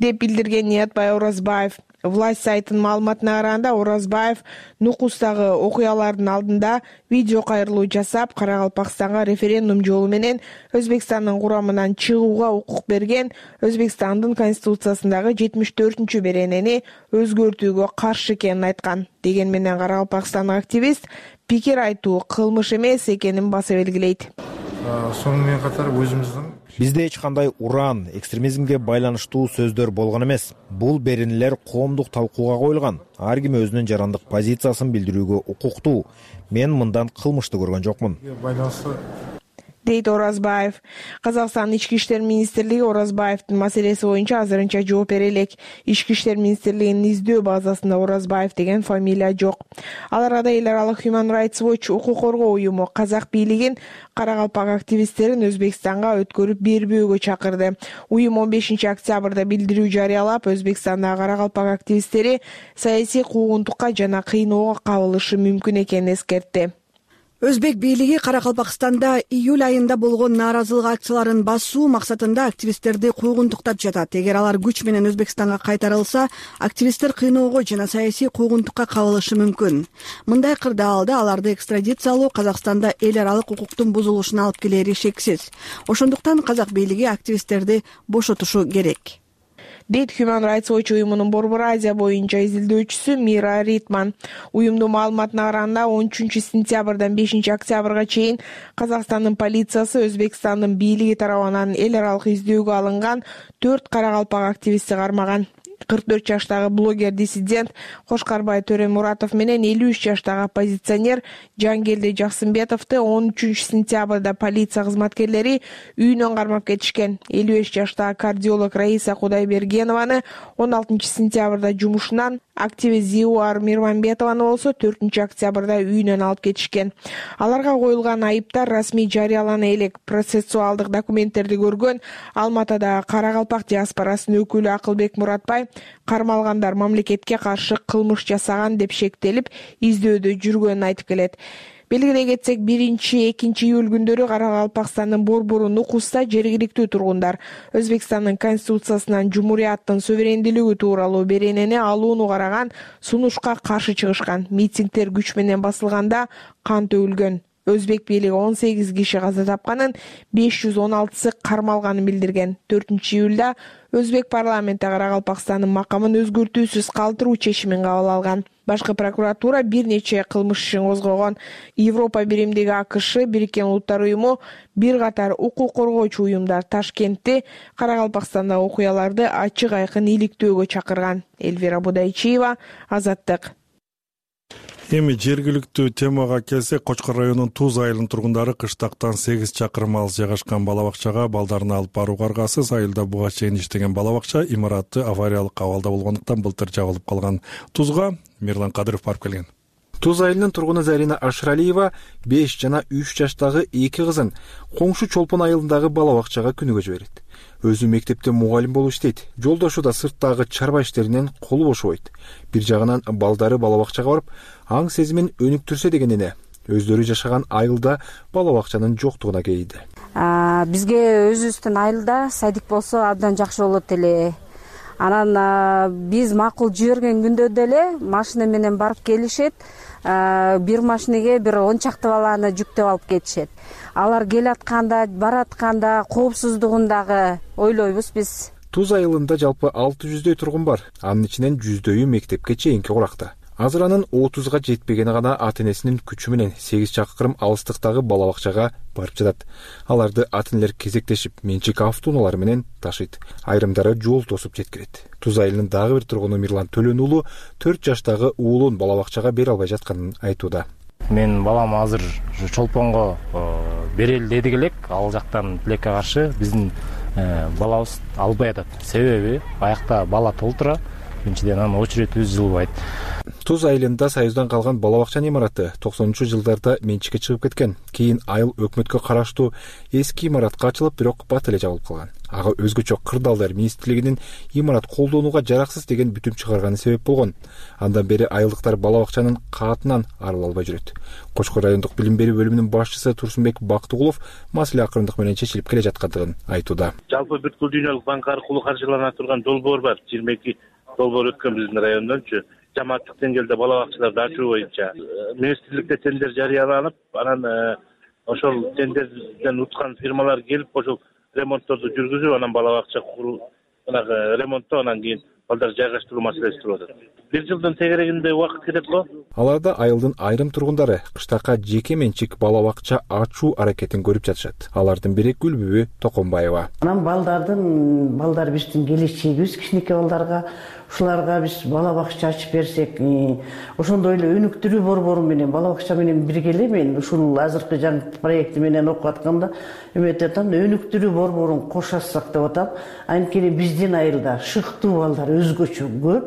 Деп билдирген Ниетбай Орозбаев. Власть сайтынын маалыматына караганда Орозбаев Нукустагы окуялардын алдында видео кайрылуу жасап, Каракалпакстанга референдум жолу менен Өзбекстандын курамынан чыгууга укук берген Өзбекстандын конституциясындагы жетимиш төртүнчү беренени өзгөртүүгө каршы экенин айткан. Деген менен Каракалпакстандык активист пикир айтуу кылмыш эмес экенин баса белгилейт. Сонун менен катар өзүмүздүн бизде эч кандай уран, экстремизмге байланыштуу сөздөр болгон эмес. Бул беренелер коомдук талкууга коюлган. Ар ким өзүнүн жарандык позициясын билдирүүгө укуктуу. Мен мындан кылмышты көргөн жокмун. дейт Оразбаев. Казакстан Ички иштер министрлиги Оразбаевдин маселеси боюнча азырынча жооп бере элек. Ички иштер министрлигинин издөө базасында Оразбаев деген фамилия жок. Ал арада эл аралык Human Rights Watch укук коргоо уюму казак бийлигин Каракалпак активисттерин Өзбекстанга өткөрүп бербөөгө чакырды. Уюм он бешинчи октябрда билдирүү жарыялап, Өзбекстандагы Каракалпак активисттери саясий куугунтукка жана кыйноого кабылышы мүмкүн экенин эскертти. Өзбек бийлиги Каракалпакстанда июль айында болгон нааразылык акцияларын басуу максатында активисттерди куугунтуктап жатат. Эгер алар күч менен Өзбекстанга кайтарылса, активисттер кыйноого жана саясий куугунтукка кабылышы мүмкүн. Мындай кырдаалда аларды экстрадициялоо Казакстанда эл аралык укуктун бузулушуна алып келери шексиз. Ошондуктан казак бийлиги активисттерди бошотушу керек, дейт Human Rights Watch уюмунун Борбор Азия боюнча изилдөөчүсү Мира Ритман. Уюмдун маалыматына караганда он үчүнчү сентябрдан бешинчи октябрга чейин Казакстандын полициясы Өзбекстандын бийлиги тарабынан эл аралык издөөгө алынган төрт каракалпак активистти кармаган. кырк төрт жаштагы блогер-диссидент Кошкарбай Төремуратов менен элүү үч жаштагы оппозиционер Жангелди Жаксымбетовду он үчүнчү сентябрда полиция кызматкерлери үйүнөн кармап кетишкен. элүү беш жаштагы кардиолог Раиса Кудайбергенованы он алтынчы сентябрда жумушунан, активист Зиуар Мирмамбетованы болсо төртүнчү октябрда үйүнөн алып кетишкен. Аларга коюлган айыптар расмий жарыялана элек. Процессуалдык документтерди көргөн Алматыдагы Каракалпак диаспорасынын өкүлү Акылбек Муратбай кармалгандар мамлекетке каршы кылмыш жасаган деп шектелип издөөдө жүргөнүн айтып келет. Белгилей кетсек, биринчи экинчи июль күндөрү Каракалпакстандын Борбору Нукуста жергиликтүү тургундар Өзбекстандын конституциясынан жумурияттын суверендүүлүгү тууралуу беренени алууну караган сунушка каршы чыгышкан. Митингдер күч менен басылганда кан төгүлгөн. Өзбек бийлиги он сегиз киши каза тапканын, беш жүз он алтысы кармалганын билдирген. төртүнчү июлда Өзбек парламенти Каракалпакстандын макамын өзгөртүүсүз калтыруу чечимин кабыл алган. Башкы прокуратура бир нече кылмыш ишин козгогон. Европа биримдиги АКШ, Бириккен Улуттар уюму, бир катар укук коргоочу уюмдар Ташкентте Каракалпакстандагы окуяларды ачык айкын иликтөөгө чакырган. Эльвира Будайчиева, Азаттык. Эми жергиликтүү темага келсек, Кочкор районунун Туз айылынын тургундары кыштактан сегиз чакырым алыс жайгашкан бала бакчага балдарын алып барууга аргасыз. Айылда буга чейин иштеген бала бакча имараты авариялык абалда болгондуктан былтыр жабылып калган. Тузга Мирлан Кадыров барып келген. Туз айылынын тургуну Зарина Ашралиева беш жана үч жаштагы эки кызын коңшу Чолпон айылындагы бала бакчага күнүгө жиберет. Өзү мектепте мугалим болуп иштейт. Жолдошу да сырттагы чарба иштеринен колу бошобойт. Бир жагынан балдары бала бакчага барып, аң сезимин өнүктүрсө деген эне өздөрү жашаган айылда бала бакчанын жоктугуна кейиди. Бизге өзүбүздүн айылда садик болсо абдан жакшы болот эле. Анан биз макул жиберген күндө деле машина менен барып келишет. Бир машинеге бир он чакты баланы жүктөп алып кетишет. Алар келатканда, баратканда коопсуздугундагы ойлойбуз биз. Туз айылында жалпы алты жүздөй тургун бар. Анын ичинен жүздөйү мектепке чейинки куракта. Азыр анын отузга жетпегени гана ата-энесинин күчү менен сегиз чакырым алыстыктагы бала бакчага барып жатат. Аларды ата-энелер кезектешип менчик автоунаалары менен ташыйт. Айрымдары жол тосуп жеткирет. Туз айылынын дагы бир тургуну Мирлан Төлөн уулу төрт жаштагы уулун бала бакчага бере албай жатканын айтууда. Мен балам азыр Чолпонго берели дедик элек, ал жактан тилекке каршы биздин балабыз албай атат. Себеби аякта бала толтура, биринчиден анын очередибиз жылбайт. Туз айылында Союздан калган бала бакчанын имараты токсонунчу жылдарда менчикке чыгып кеткен. Кийин айыл өкмөткө караштуу эски имаратка ачылып, бирок бат эле жабылып калган. Ага өзгөчө кырдаалдар министрлигинин имарат колдонууга жараксыз деген бүтүм чыгарганы себеп болгон. Андан бери айылдыктар бала бакчанын каатынан арыла албай жүрөт. Кочкор райондук билим берүү бөлүмүнүн башчысы Турсунбек Бактыгулов маселе акырындык менен чечилип келе жаткандыгын айтууда. Жалпы бүткүл дүйнөлүк банк аркылуу каржылана турган долбоор бар. жыйырма эки долбоор өткөн биздин райондончу. Жамааттык деңгээлде бала бакчаларды ачуу боюнча министрликте тендер жарыяланып, анан ошол тендерден уткан фирмалар келип, ошол ремонтторду жүргүзүп, анан бала бакча куруу, анан ремонттоо, анан кийин балдар жайгаштыруу маселеси туруп атат. Бир жылдын тегерегинде убакыт кетет го. Аларда айылдын айрым тургундары кыштакка жеке менчик бала бакча ачуу аракетин көрүп жатышат. Алардын бири Гүлбүбү Токонбаева. Анан балдардын балдар биздин келечегибиз, кичинекей балдарга ушуларга биз бала бакча ачып берсек, ошондой эле өнүктүрүү борбору менен бала бакча менен бирге эле мен ушул азыркы жаңы проекти менен окуп атканда эметип атам, өнүктүрүү борборун кошасак деп атам. Анткени биздин айылда шыктуу балдар өзгөчө көп.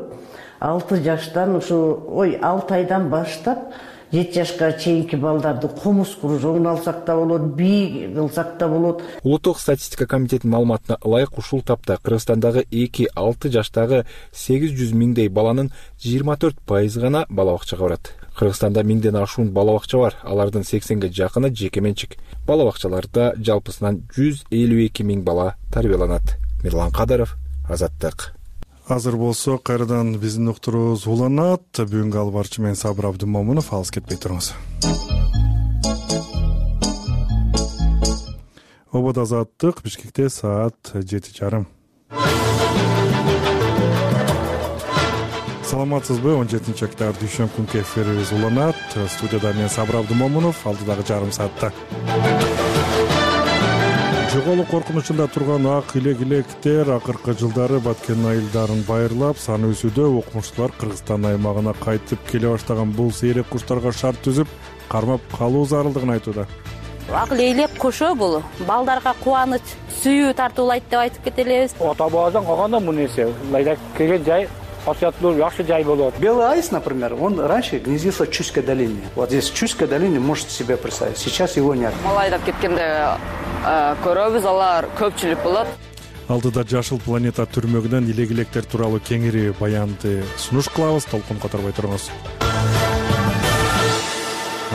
алты жаштан ушу ой алты айдан баштап жети жашка чейинки балдарды комуз кружогун алсак да болот, бий кылсак да болот. Улуттук статистика комитетинин маалыматына ылайык ушул тапта Кыргызстандагы эки алты жаштагы сегиз жүз миңдей баланын жыйырма төрт пайызы гана бала бакчага барат. Кыргызстанда миңден ашуун бала бакча бар, алардын сексенге жакыны жеке менчик. Бала бакчаларда жалпысынан жүз элүү эки миң бала тарбияланат. Мирлан Кадыров, Азаттык. Азыр болсо кайрадан биздин уктуруубуз уланат. Бүгүнкү албарчы мен Сабыр Абдымомунов. Алыс кетпей туруңуз. Обод Азаттык, Бишкекте саат жети жарым. Саламатсызбы? он жетинчи октябрь дүйшөмбү күнкү эфирибиз уланат. Студияда мен Сабыр Абдымомунов, алдыдагы жарым саатта жоголуу коркунучунда турган ак илек-илектер акыркы жылдары баткен айылдарын байырлап, саны өсүүдө. Окумуштуулар Кыргызстан аймагына кайтып келе баштаган бул сейрек куштарга шарт түзүп, кармап калуу зарылдыгын айтууда. Ак илек кушу бул балдарга кубаныч, сүйүү тартуулайт деп айтып кетелебиз. Ата бабадан калганда бул нерсе ылайда келген жай Освятлуу жакшы жай болот. Белый аист, например, он раньше гнездился в Чуйской долине. Вот здесь в Чуйской долине можете себе представить. Сейчас его нет. Малайдап кеткенде көрөбүз, алар көпчүлүк болот. Алдыда Жашыл планета түрмөгүнөн илек-илектер тууралуу кеңири баянды сунуш кылабыз. Толкун которбой туруңуз.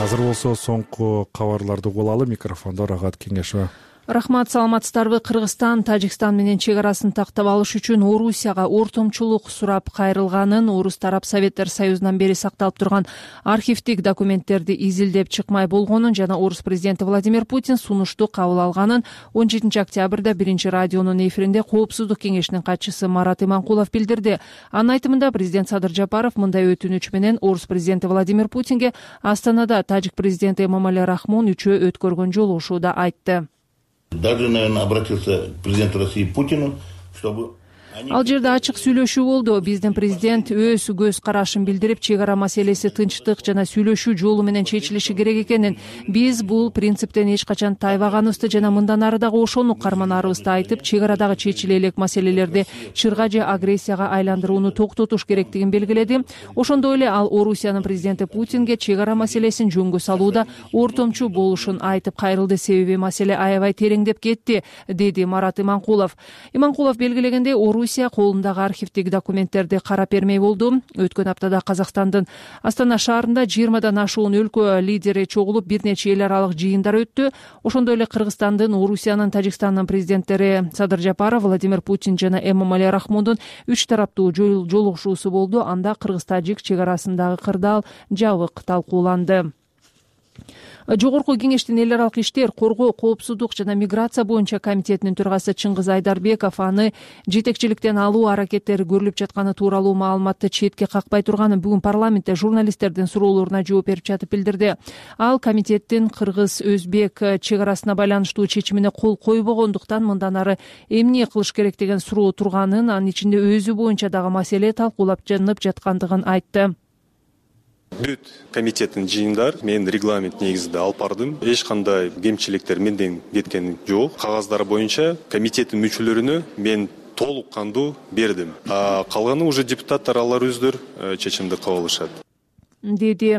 Азыр болсо соңку кабарларды угулалы. Микрофондо Рагат Кеңешова. Рахмат, саламатсыздарбы? Кыргызстан Тажикстан менен чек арасын тактап алыш үчүн Орусияга ортомчулук сурап кайрылганын, Орус тарап Советтер Союзунан бери сакталып турган архивдик документтерди изилдеп чыкмай болгонун жана Орус президенти Владимир Путин сунушту кабыл алганын он жетинчи октябрда биринчи радионун эфиринде Коопсуздук кеңешинин катчысы Марат Иманкулов билдирди. Анын айтымында президент Садыр Жапаров мындай өтүнүч менен Орус президенти Владимир Путинге Астанада тажик президенти Эмомали Рахмон үчөө өткөргөн жолугушууда айтты. Даже, наверное, обратился к президенту России Путину, чтобы... Ал жерде ачык сүйлөшүү болду. Биздин президент өз көз карашын билдирип, чек ара маселеси тынчтык жана сүйлөшүү жолу менен чечилиши керек экенин, биз бул принциптен эч качан тайбаганыбызды жана мындан ары дагы ошону карманарыбызды айтып, чек арадагы чечиле элек маселелерди чырга же агрессияга айландырууну токтотуш керектигин белгиледи. Ошондой эле ал Орусиянын президенти Путинге чек ара маселесин жөнгө салууда ортомчу болушун айтып кайрылды. Себеби маселе аябай тереңдеп кетти, деди Марат Иманкулов. Иманкулов белгилегендей, Орусия колундагы архивдик документтерди карап бермей болду. Өткөн аптада Казакстандын Астана шаарында жыйырмадан ашуун өлкө лидери чогулуп, бир нече эл аралык жыйындар өттү. Ошондой эле Кыргызстандын, Орусиянын, Тажикстандын президенттери Садыр Жапаров, Владимир Путин жана Эмомали Рахмондун үч тараптуу жолугушуусу болду. Анда кыргыз-тажик чек арасындагы кырдаал жабык талкууланды. Жогорку кеңештин эл аралык иштер, коргоо, коопсуздук жана миграция боюнча комитетинин төрагасы Чыңгыз Айдарбеков аны жетекчиликтен алуу аракеттери көрүлүп жатканы тууралуу маалыматты четке какпай турганын бүгүн парламентте журналисттердин суроолоруна жооп берип жатып билдирди. Ал комитеттин кыргыз-өзбек чек арасына байланыштуу чечимине кол койбогондуктан мындан ары эмне кылыш керек деген суроо турганын, анын ичинде өзү боюнча дагы маселе талкуулап жанып жаткандыгын айтты. Бүт комитеттин жыйындар мен регламент негизинде алып бардым. Эч кандай кемчиликтер менден кеткен жок. Кагаздары боюнча комитеттин мүчөлөрүнө мен толук кандуу бердим. А калганы уже депутаттар алар өздөрү чечимди кабыл алышат, деди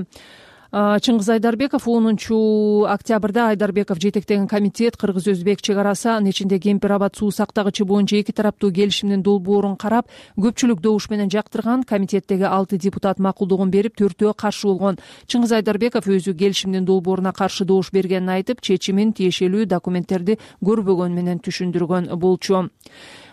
Чыңгыз Айдарбеков. онунчу октябрда Айдарбеков жетектеген комитет кыргыз-өзбек чек арасы, анын ичинде Кемпир-Абад суу сактагычы боюнча эки тараптуу келишимдин долбоорун карап, көпчүлүк добуш менен жактырган. Комитеттеги алты депутат макулдугун берип, төртөө каршы болгон. Чыңгыз Айдарбеков өзү келишимдин долбооруна каршы добуш бергенин айтып, чечимин тиешелүү документтерди көрбөгөн менен түшүндүргөн болчу.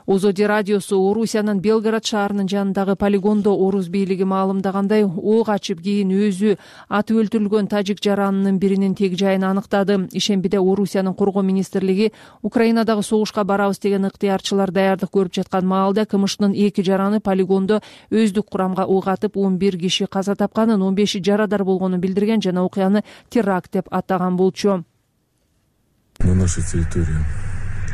Озоди радиосу Орусиянын Белгород шаарынын жанындагы полигондо орус бийлиги маалымдагандай ок ачып кийин өзү атып өлтүрүлгөн тажик жаранынын биринин тег жайын аныктады. Ишембиде Орусиянын коргоо министрлиги Украинадагы согушка барабыз деген ыктыярчылар даярдык көрүп жаткан маалда КМШнын эки жараны полигондо өздүк курамга ок атып он бир киши каза тапканын, он беши жарадар болгонун билдирген жана окуяны теракт деп атаган болчу. На нашей территории,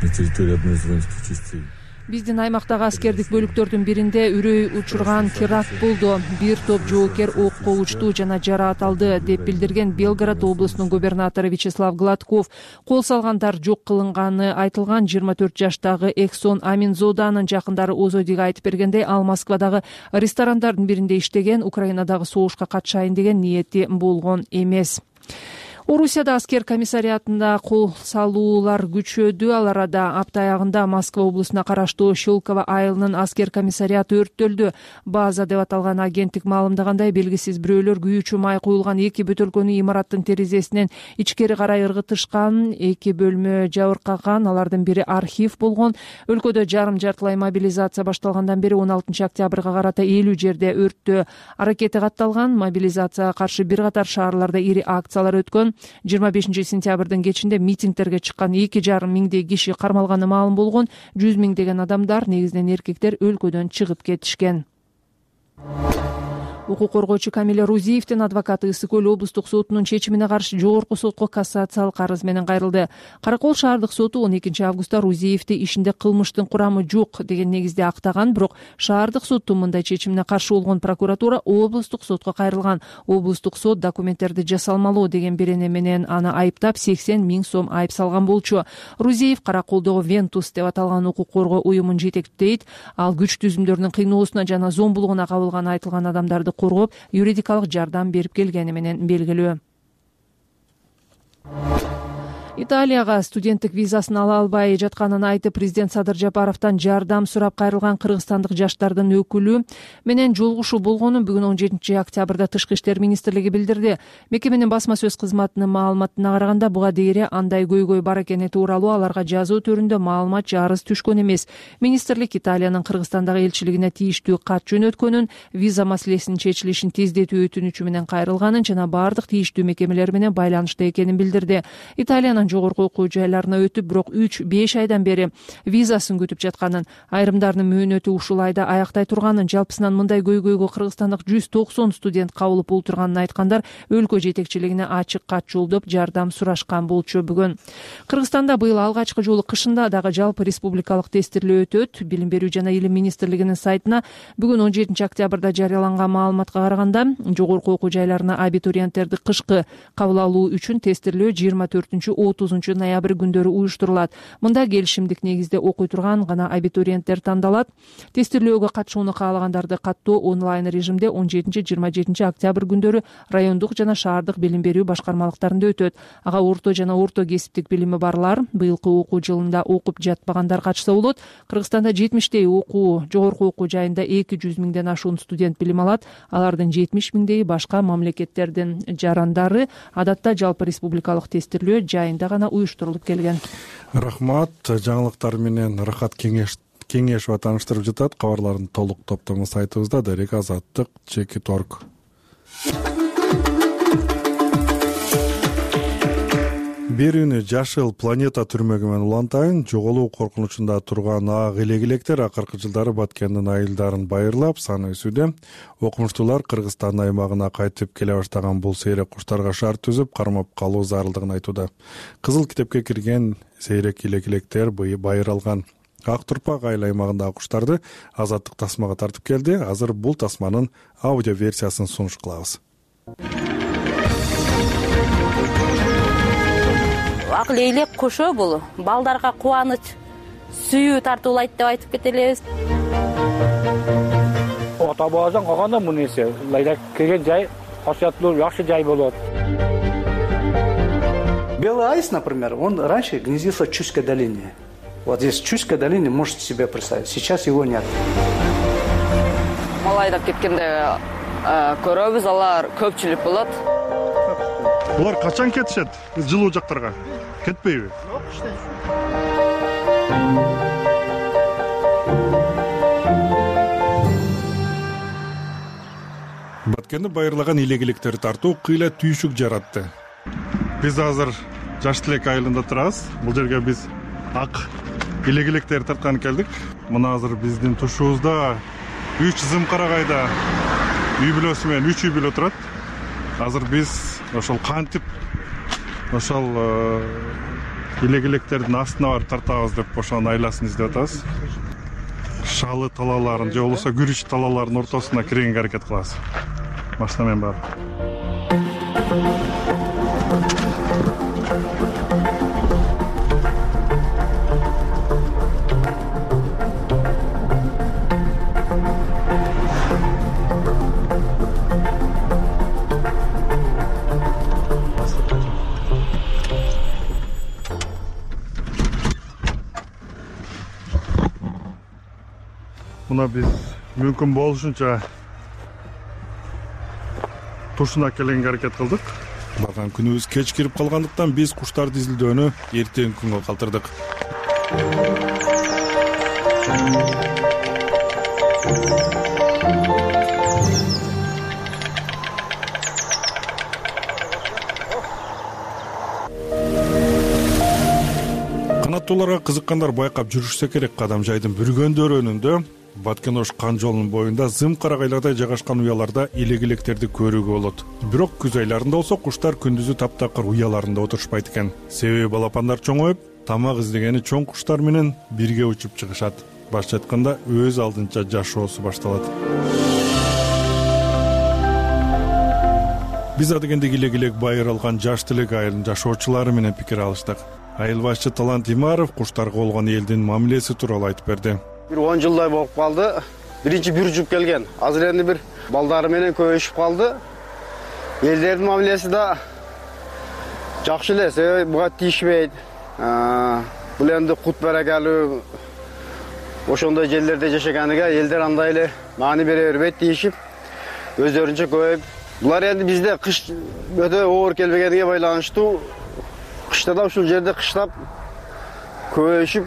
на территории одной из воинских частей. Биздин аймактагы аскердик бөлүктөрдүн биринде үрөй учурган теракт болду. Бир топ жоокер окко учту жана жараат алды деп билдирген Белгород облусунун губернатору Вячеслав Гладков. Кол салгандар жок кылынганы айтылган. жыйырма төрт жаштагы Эксон Аминзоданын жакындары Озодиге айтып бергендей, ал Москвадагы ресторандардын биринде иштеген, Украинадагы согушка катышайын деген ниети болгон эмес. Орусияда аскер комиссариатында кол салуулар күчөдү. Ал арада апта аягында Москва облусуна караштуу Щелково айылынын аскер комиссариаты өрттөлдү. База деп аталган агенттик маалымдагандай, белгисиз бирөөлөр күйүүчү май куюлган эки бөтөлкөнү имараттын терезесинен ичкери карай ыргытышкан, эки бөлмө жабыркаган, алардын бири архив болгон. Өлкөдө жарым жартылай мобилизация башталгандан бери он алтынчы октябрга карата элүү жерде өрттө аракети катталган. Мобилизацияга каршы бир катар шаарларда ири акциялар өткөн. жыйырма бешинчи сентябрдын кечинде митингтерге чыккан эки жарым миңдей киши кармалганы маалым болгон. Жүз миңдеген адамдар, негизинен эркектер, өлкөдөн чыгып кетишкен. Укук коргоочу Камиля Рузиевдин адвокаты Ысык Көл облустук сотунун чечимине каршы жогорку сотко кассациялык арыз менен кайрылды. Каракол шаардык соту он экинчи августта Рузиевди ишинде кылмыштын курамы жок деген негизде актаган, бирок шаардык соттун мындай чечимине каршы болгон прокуратура облустук сотко кайрылган. Облустук сот документтерди жасалмалоо деген берене менен аны айыптап сексен миң сом айып салган болчу. Рузиев Караколдогу Вентус деп аталган укук коргоо уюмун жетектейт. Ал күч түзүмдөрүнүн кыйноосуна жана зомбулугуна кабылган айтылган адамдарды коргоп, юридикалык жардам берип келгени менен белгилүү. Италияга студенттик визасын ала албай жатканын айтып, президент Садыр Жапаровдон жардам сурап кайрылган кыргызстандык жаштардын өкүлү менен жолугушуу болгонун бүгүн он жетинчи октябрда Тышкы иштер министрлиги билдирди. Мекеменин басма сөз кызматынын маалыматына караганда, буга дейре андай көйгөй бар экени тууралуу аларга жазуу түрүндө маалымат жарыз түшкөн эмес. Министрлик Италиянын Кыргызстандагы элчилигине тийиштүү кат жөнөткөнүн, виза маселесинин чечилишин тездетүү өтүнүчү менен кайрылганын жана бардык тийиштүү мекемелер менен байланышта экенин билдирди. Италиянын жогорку окуу жайларына өтүп, бирок үч беш айдан бери визасын күтүп жатканын, айрымдарынын мөөнөтү ушул айда аяктай турганын, жалпысынан мындай көйгөйгө кыргызстандык жүз токсон студент кабылып олтурганын айткандар өлкө жетекчилигине ачык кат жолдоп жардам сурашкан болчу. Бүгүн Кыргызстанда быйыл алгачкы жолу кышында дагы жалпы республикалык тестирлөө өтөт. Билим берүү жана илим министрлигинин сайтына бүгүн он жетинчи октябрда жарыяланган маалыматка караганда, жогорку окуу жайларына абитуриенттерди кышкы кабыл алуу үчүн тестирлөө жыйырма төртүнчү отузунчу ноябрь күндөрү уюштурулат. Мында келишимдик негизде окуй турган гана абитуриенттер тандалат. Тестирлөөгө катышууну каалагандарды каттоо онлайн режимде он жетинчи жыйырма жетинчи октябрь күндөрү райондук жана шаардык билим берүү башкармалыктарында өтөт. Ага орто жана орто кесиптик билими барлар, быйылкы окуу жылында окуп жатпагандар катышса болот. Кыргызстанда жетимиштей окуу жогорку окуу жайында эки жүз миңден ашуун студент билим алат. Алардын жетимиш миңдеги башка мамлекеттердин жарандары. Адатта жалпы республикалык тестирлөө жайында гана уюштурулуп келген. Рахмат. Жаңылыктар менен Рахат кеңеш кеңешова тааныштырып жатат. Кабарлардын толук топтому сайтыбызда Дарек Азаттык чеки торг. Берүүнү жашыл планета түрмөгү менен улантайын. Жоголуу коркунучунда турган ак элек-электер акыркы жылдары Баткендин айылдарын байырлап, саны өсүүдө. Окумуштуулар Кыргызстан аймагына кайтып келе баштаган бул сейрек куштарга шарт түзүп, кармап калуу зарылдыгын айтууда. Кызыл китепке кирген сейрек элек-электер байыралган ак турпак айыл аймагындагы куштарды Азаттык тасмага тартып келди. Азыр бул тасманын аудио версиясын сунуш кылабыз. Ак лейлек кушу бул балдарга кубаныч, сүйүү тартуулайт деп айтып кетелебиз. Ата бабадан калганда бул нерсе лейлек келген жай касыяттуу жакшы жай болот. Белый аист, например, он раньше гнездился в Чуйской долине. Вот здесь в Чуйской долине можете себе представить. Сейчас его нет. Малайдап кеткенде көрөбүз, алар көпчүлүк болот. Булар качан кетишет? Жылуу жактарга кетпейби? Баткенди байырлаган илегилектер тартуу кыйла түйшүк жаратты. Биз азыр Жаш Тилек айылында турабыз. Бул жерге биз ак илегилектер тарткан келдик. Мына азыр биздин тушубузда үч зым карагайда үй бүлөсү менен үч үй бүлө турат. Азыр биз ошол кантип ошол илегилектердин астына барып тартабыз деп ошонун айласын издеп атабыз. Шалы талаларын же болбосо күрүч талаларынын ортосуна киргенге аракет кылабыз. Машина менен барып. Мына биз мүмкүн болушунча тушуна келгенге аракет кылдык. Барган күнүбүз кеч кирип калгандыктан биз куштарды изилдөөнү эртең күнгө калтырдык. Канаттууларга кызыккандар байкап жүрүшсө керек, Кадамжайдын Бүргөндөрөнүндө Баткен Ош кан жолунун боюнда зым карагайларда жайгашкан уяларда илегилектерди көрүүгө болот. Бирок күз айларында болсо куштар күндүзү таптакыр уяларында отурушпайт экен. Себеби балапандар чоңоюп, тамак издегени чоң куштар менен бирге учуп чыгышат. Башча айтканда өз алдынча жашоосу башталат. Биз адегенде илегилек байыралган Жаш Тилек айылынын жашоочулары менен пикир алыштык. Айыл башчы Талант Имаров куштарга болгон элдин мамилеси тууралуу айтып берди. Бир он жылдай болуп калды. Биринчи бир жуп келген. Азыр энди бир балдары менен көбөйүшүп калды. Элдердин мамилеси да жакшы эле, себеби буга тийишпейт. Бул энди кут берекелүү ошондой жерлерде жашаганга элдер андай эле маани бере бербейт тийишип, өздөрүнчө көбөйүп. Булар энди бизде кыш өтө оор келбегениге байланыштуу кышта да ушул жерде кыштап көбөйүшүп,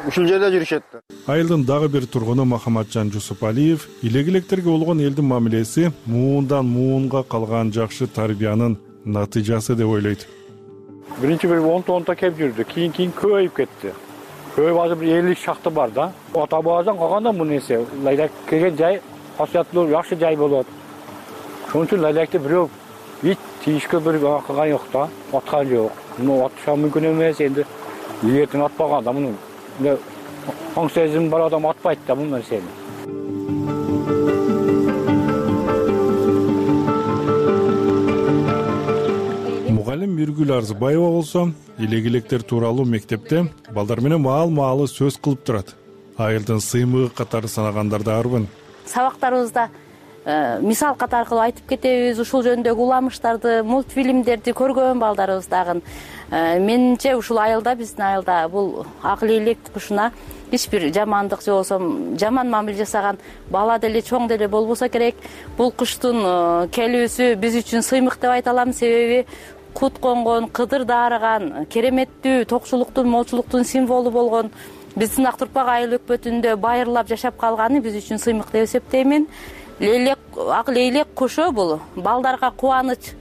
ушул жерде жүрүшөт. Айылдын дагы бир тургуну Махаматжан Жусупалиев илегилектерге болгон элдин мамилеси муундан муунга калган жакшы тарбиянын натыйжасы деп ойлойт. Биринчи бир он тонта кеп жүрдү, кийин кийин көбөйүп кетти. Көбөйүп азыр бир элүү шакты бар да. Ата бабадан калганда бул нерсе лайлак келген жай хасыяттуу жакшы жай болот. Ошон үчүн лайлекти бирөө ит тийишке бир кылган жок да, аткан жок. Муну атыша мүмкүн эмес, энди ийетин атпаган да муну. Оң сезим бар адам атпайт да бул нерсени. Мугалим Миргүл Арзыбаева болсо илегилектер тууралуу мектепте балдар менен маал-маалы сөз кылып турат. Айылдын сыймыгы катары санагандар да арбын. Сабактарыбызда мисал катары кылып айтып кетебиз, ушул жөнүндөгү уламыштарды, мультфильмдерди көргөн балдарыбыз дагы. Менимче ушул айылда, биздин айылда бул ак лейлек кушуна эч бир жамандык же болсо жаман мамиле жасаган бала деле чоң деле болбосо керек. Бул куштун келүүсү биз үчүн сыймык деп айта алам, себеби кут конгон, кыдыр даарыган, кереметтүү токчулуктун, молчулуктун символу болгон биздин ак турпак айыл өкпөтүндө байырлап жашап калганы биз үчүн сыймык деп эсептеймин. Лейлек, ак лейлек кушу бул балдарга кубаныч,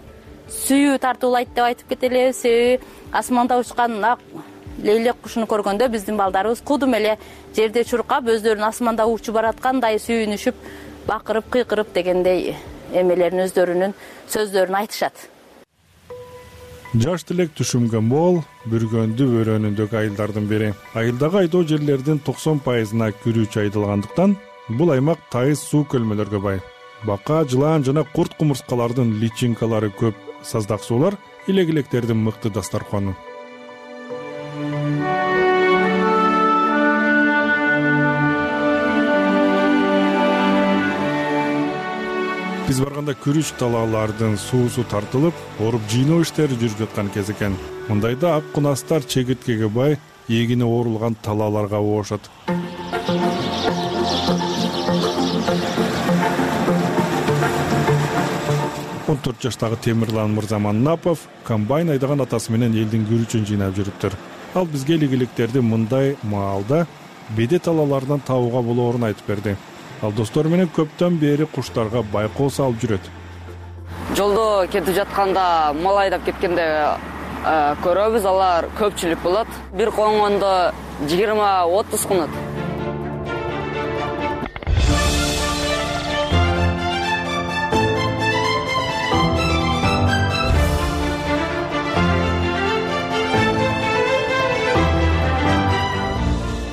сүйүү тартуулайт деп айтып кетелебиз. Себеби асманда учкан ак лейлек кушуну көргөндө биздин балдарыбыз кудум эле жерде чуркап, өздөрүн асманда учуп бараткандай сүйүнүшүп, бакырып, кыйкырып дегендей эмелерин өздөрүнүн сөздөрүн айтышат. Жаш Тилек түшүмгө мол, Бүргөндү өрөөнүндөгү айылдардын бири. Айылдагы айдоо жерлердин токсон пайызына күрүүчү айдалгандыктан бул аймак тайыз суу көлмөлөргө бай. Бака, жылаан жана курт кумурскалардын личинкалары көп. Саздак суулар илегилектердин мыкты дастаркону. Биз барганда күрүч талаалардын суусу тартылып, оруп жыйноо иштери жүрүп жаткан кез экен. Мындайда ак кунастар чегирткеге бай, эгини оорулган талааларга оошот. он төрт жаштагы Темирлан Мырзаманапов комбайн айдаган атасы менен элдин күрүчүн жыйнап жүрүптүр. Ал бизге илегилектерди мындай маалда беде талааларынан табууга болоорун айтып берди. ал достору менен көптөн бери куштарга байкоо салып жүрөт. Жолдо кетип жатканда мал айдап кеткенде көрөбүз, алар көпчүлүк болот. Бир коңгондо жыйырма отуз кунут.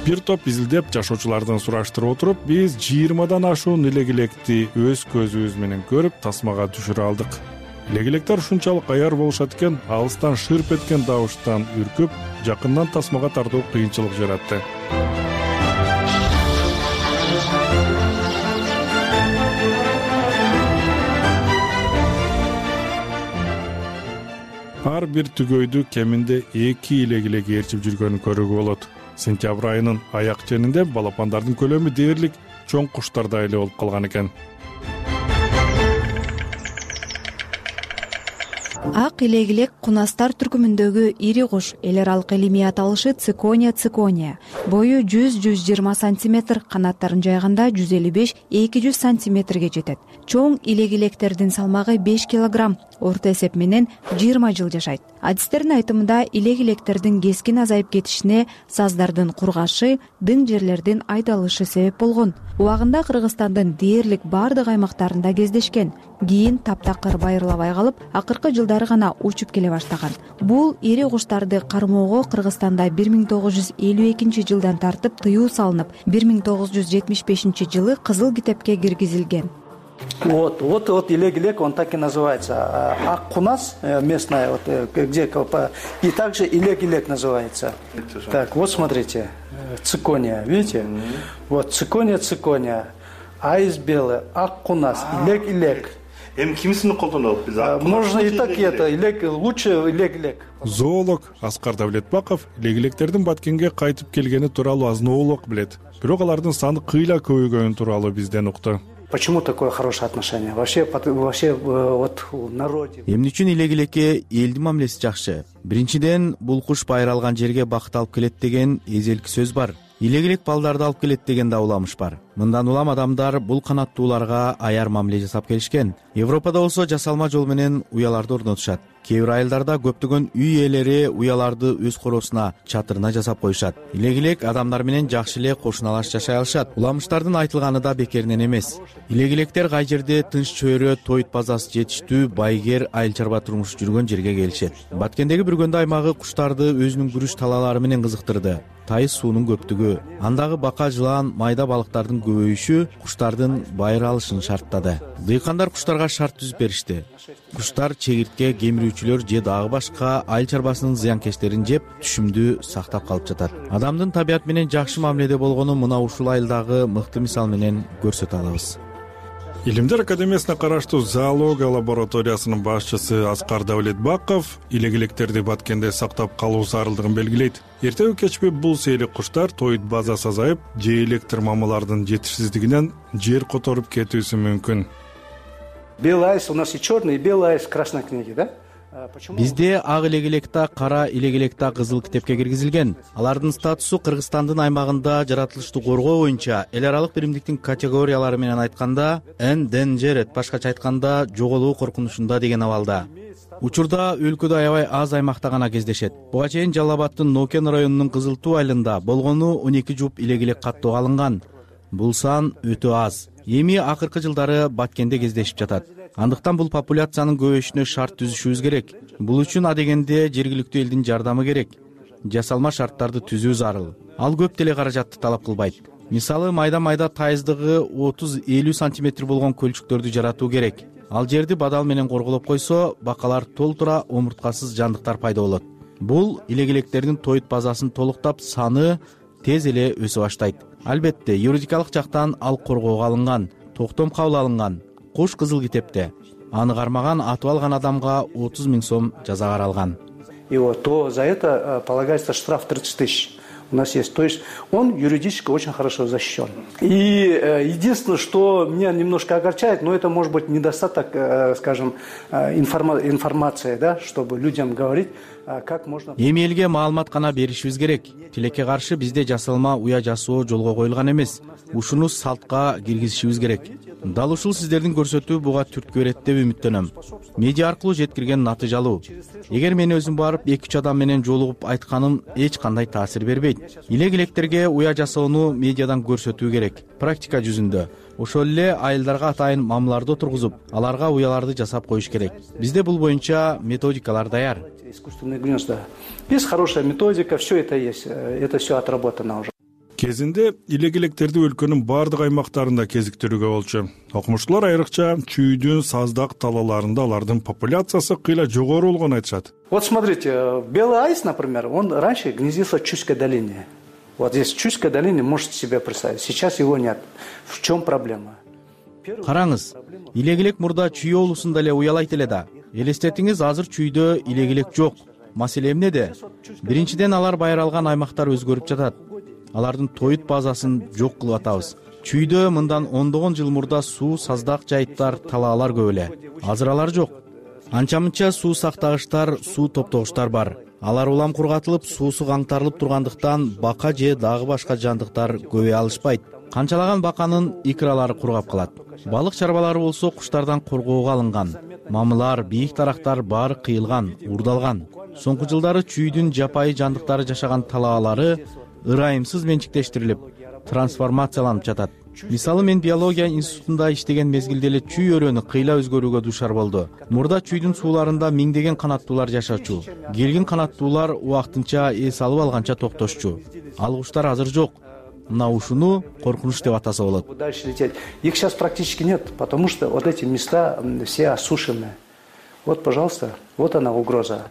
Бир топ изилдеп жашоочулардан сураштырып отуруп, биз жыйырмадан ашуун элегилекти өз көзүбүз менен көрүп, тасмага түшүрө алдык. Элегилектер ушунчалык аяр болушат экен, алыстан шырп эткен добуштан үркүп, жакындан тасмага тартуу кыйынчылык жаратты. Ар бир түгөйдү кеминде эки элегилек ээрчип жүргөнүн көрүүгө болот. Сентябрь айынын аяк ченинде балапандардын көлөмү дээрлик чоң куштардай эле болуп калган экен. Ак элегилек кунастар түркүмүндөгү ири куш, эл аралык илимий аталышы цикония цикония. Бою жүз жүз жыйырма сантиметр, канаттарын жайганда жүз элүү беш эки жүз сантиметрге жетет. Чоң элегилектердин салмагы беш килограмм, орто эсеп менен жыйырма жыл жашайт. Адистердин айтымында элегилектердин кескин азайып кетишине саздардын кургашы, дың жерлердин айдалышы себеп болгон. Убагында Кыргызстандын дээрлик бардык аймактарында кездешкен. Кийин таптакыр байырлабай калып, акыркы жылдары гана учуп келе баштаган. Бул ири куштарды кармоого Кыргызстанда бир миң тогуз жүз элүү экинчи жылдан тартып тыюу салынып, бир миң тогуз жүз жетимиш бешинчи жылы Кызыл китепке киргизилген. Вот, вот, вот элегилек, он так и называется. Аккунас местная, вот, где и также элегилек называется. Так, вот смотрите, цикония, видите? Вот цикония, цикония, айс белый, аккунас, элегилек. Можно и так, и это, илек, лучше элегилек. Зоолог Аскар Давлетбаков элегилектердин Баткенге кайтып келгени тууралуу азыноолог билет. Бирок алардын саны кыйла көбөйгөнү тууралуу бизден укту. Почему такое хорошее отношение? Вообще, вообще вот в народе. Эмне үчүн элегилекке элдин мамилеси жакшы? Биринчиден, бул куш байыралган жерге бакыт алып келет деген эзелки сөз бар. Элегилек балдарды алып келет деген да уламыш бар. Мындан улам адамдар бул канаттууларга аяр мамиле жасап келишкен. Европада болсо жасалма жол менен уяларды орнотушат. Кээ бир айылдарда көптөгөн үй ээлери уяларды өз коросуна, чатырына жасап коюшат. Элегилек адамдар менен жакшы эле кошуналаш жашай алышат. Уламыштардын айтылганы да бекеринен эмес. Элегилектер кай жерде тынч чөйрө, тойт базасы жетиштүү, байгер, айыл чарба турмуш жүргөн жерге келишет. Баткендеги Бүргөндө аймагы куштарды өзүнүн күрүч талаалары менен кызыктырды. Тайыз суунун көптүгү, андагы бака, жылан, майда балыктардын көбөйүшү куштардын байыралышын шарттады. Дыйкандар куштарга шарт түзүп беришти. Куштар чегиртке, кемирүүчүлөр же дагы башка айыл чарбасынын зыянкечтерин жеп, түшүмдү сактап калып жатат. Адамдын табият менен жакшы мамиледе болгону мына ушул айылдагы мыкты мисал менен көрсөтө алабыз. Илимдер академиясына караштуу зоология лабораториясынын башчысы Аскар Давлетбаков элегилектерди Баткенде сактап калуу зарылдыгын белгилейт. Эртеби кечпи бул сейлик куштар тойт базасы азайып, же электр мамалардын жетишсиздигинен жер которуп кетүүсү мүмкүн. Белый айс у нас и черный, и белый айс в красной книге, да? Бизде ак элегилекта, кара элегилекта Кызыл китепке киргизилген. Алардын статусу Кыргызстандын аймагында жаратылышты коргоо боюнча эл аралык биримдиктин категориялары менен айтканда endangered, башкача айтканда жоголуу коркунучунда деген абалда. Учурда өлкөдө аябай аз аймакта гана кездешет. Буга чейин Жалал Абадтын Нокен районунун Кызыл Туу айылында болгону он эки жуп элегилек каттоого алынган. Бул сан өтө аз. Эми акыркы жылдары Баткенде кездешип жатат. Андыктан бул популяциянын көбөйүшүнө шарт түзүшүбүз керек. Бул үчүн адегенде жергиликтүү элдин жардамы керек. Жасалма шарттарды түзүү зарыл. Ал көп деле каражатты талап кылбайт. Мисалы, майда-майда тайыздыгы отуз элүү сантиметр болгон көлчүктөрдү жаратуу керек. Ал жерди бадал менен корголоп койсо, бакалар толтура омурткасыз жандыктар пайда болот. Бул элегилектердин тойт базасын толуктап, саны тез эле өсө баштайт. Албетте, юридикалык жактан ал коргоого алынган, токтом кабыл алынган. Куш Кызыл китепте. Аны кармаган, атып алган адамга отуз миң сом жаза каралган. И вот то за это полагается штраф тридцать тысяч. у нас есть. То есть он юридически очень хорошо защищен. И единственное, что меня немножко огорчает, но это может быть недостаток, скажем, информации, да, чтобы людям говорить, как можно... Эми элге маалымат гана беришибиз керек. Тилекке каршы бизде жасалма уя жасоо жолго коюлган эмес. Ушуну салтка киргизишибиз керек. Дал ушул сиздердин көрсөтүү буга түрткү берет деп үмүттөнөм. Медиа аркылуу жеткирген натыйжалуу. Эгер мен өзүм барып эки үч адам менен жолугуп айтканым эч кандай таасир бербейт. Илек-илектерге уя жасоону медиадан көрсөтүү керек. Практика жүзүндө. Ошол эле айылдарга атайын мамларды отургузуп, аларга уяларды жасап коюш керек. Бизде бул боюнча методикалар даяр. Искусственные гнезда. Есть хорошая методика, все это есть, это все отработано уже. Кезинде илек-илектерди өлкөнүн бардык аймактарында кезиктирүүгө болчу. Окумуштуулар айрыкча чүйдүн, саздак талааларында алардын популяциясы кыйла жогору болгонун айтышат. Вот смотрите, белый айс, например, он раньше гнездился в Чуйской долине. Вот здесь в Чуйской долине можете себе представить. Сейчас его нет. В чем проблема? Караңыз, илек-илек мурда Чүй облусунда эле уялайт эле да. Элестетиңиз, азыр Чүйдө илек-илек жок. Маселе эмнеде? Биринчиден алар байыралган аймактар өзгөрүп жатат. Алардын тоют базасын жок кылып атабыз. Чүйдө мындан ондогон жыл мурда суу, саздак жайыттар, талаалар көп эле. Азыр алар жок. Анча-мынча суу сактагычтар, суу топтогучтар бар. Алар улам кургатылып, суусу каңтарылып тургандыктан бака же дагы башка жандыктар көбөй алышпайт. Канчалаган баканын икралары кургап калат. Балык чарбалары болсо куштардан коргоого алынган. Мамылар, бийик дарактар баары кыйылган, уурдалган. Соңку жылдары Чүйдүн жапайы жандыктары жашаган талаалары ырайымсыз менчиктештирилип, трансформацияланып жатат. Мисалы мен биология институтунда иштеген мезгилде эле Чүй өрөөнү кыйла өзгөрүүгө дуушар болду. Мурда Чүйдүн сууларында миңдеген канаттуулар жашачу. Келген канаттуулар убактынча эс алып алганча токтошчу. Алгучтар азыр жок. Мына ушуну коркунуч деп атаса болот. Дальше лететь. Их сейчас практически нет, потому что вот эти места все осушены. Вот, пожалуйста, вот она угроза.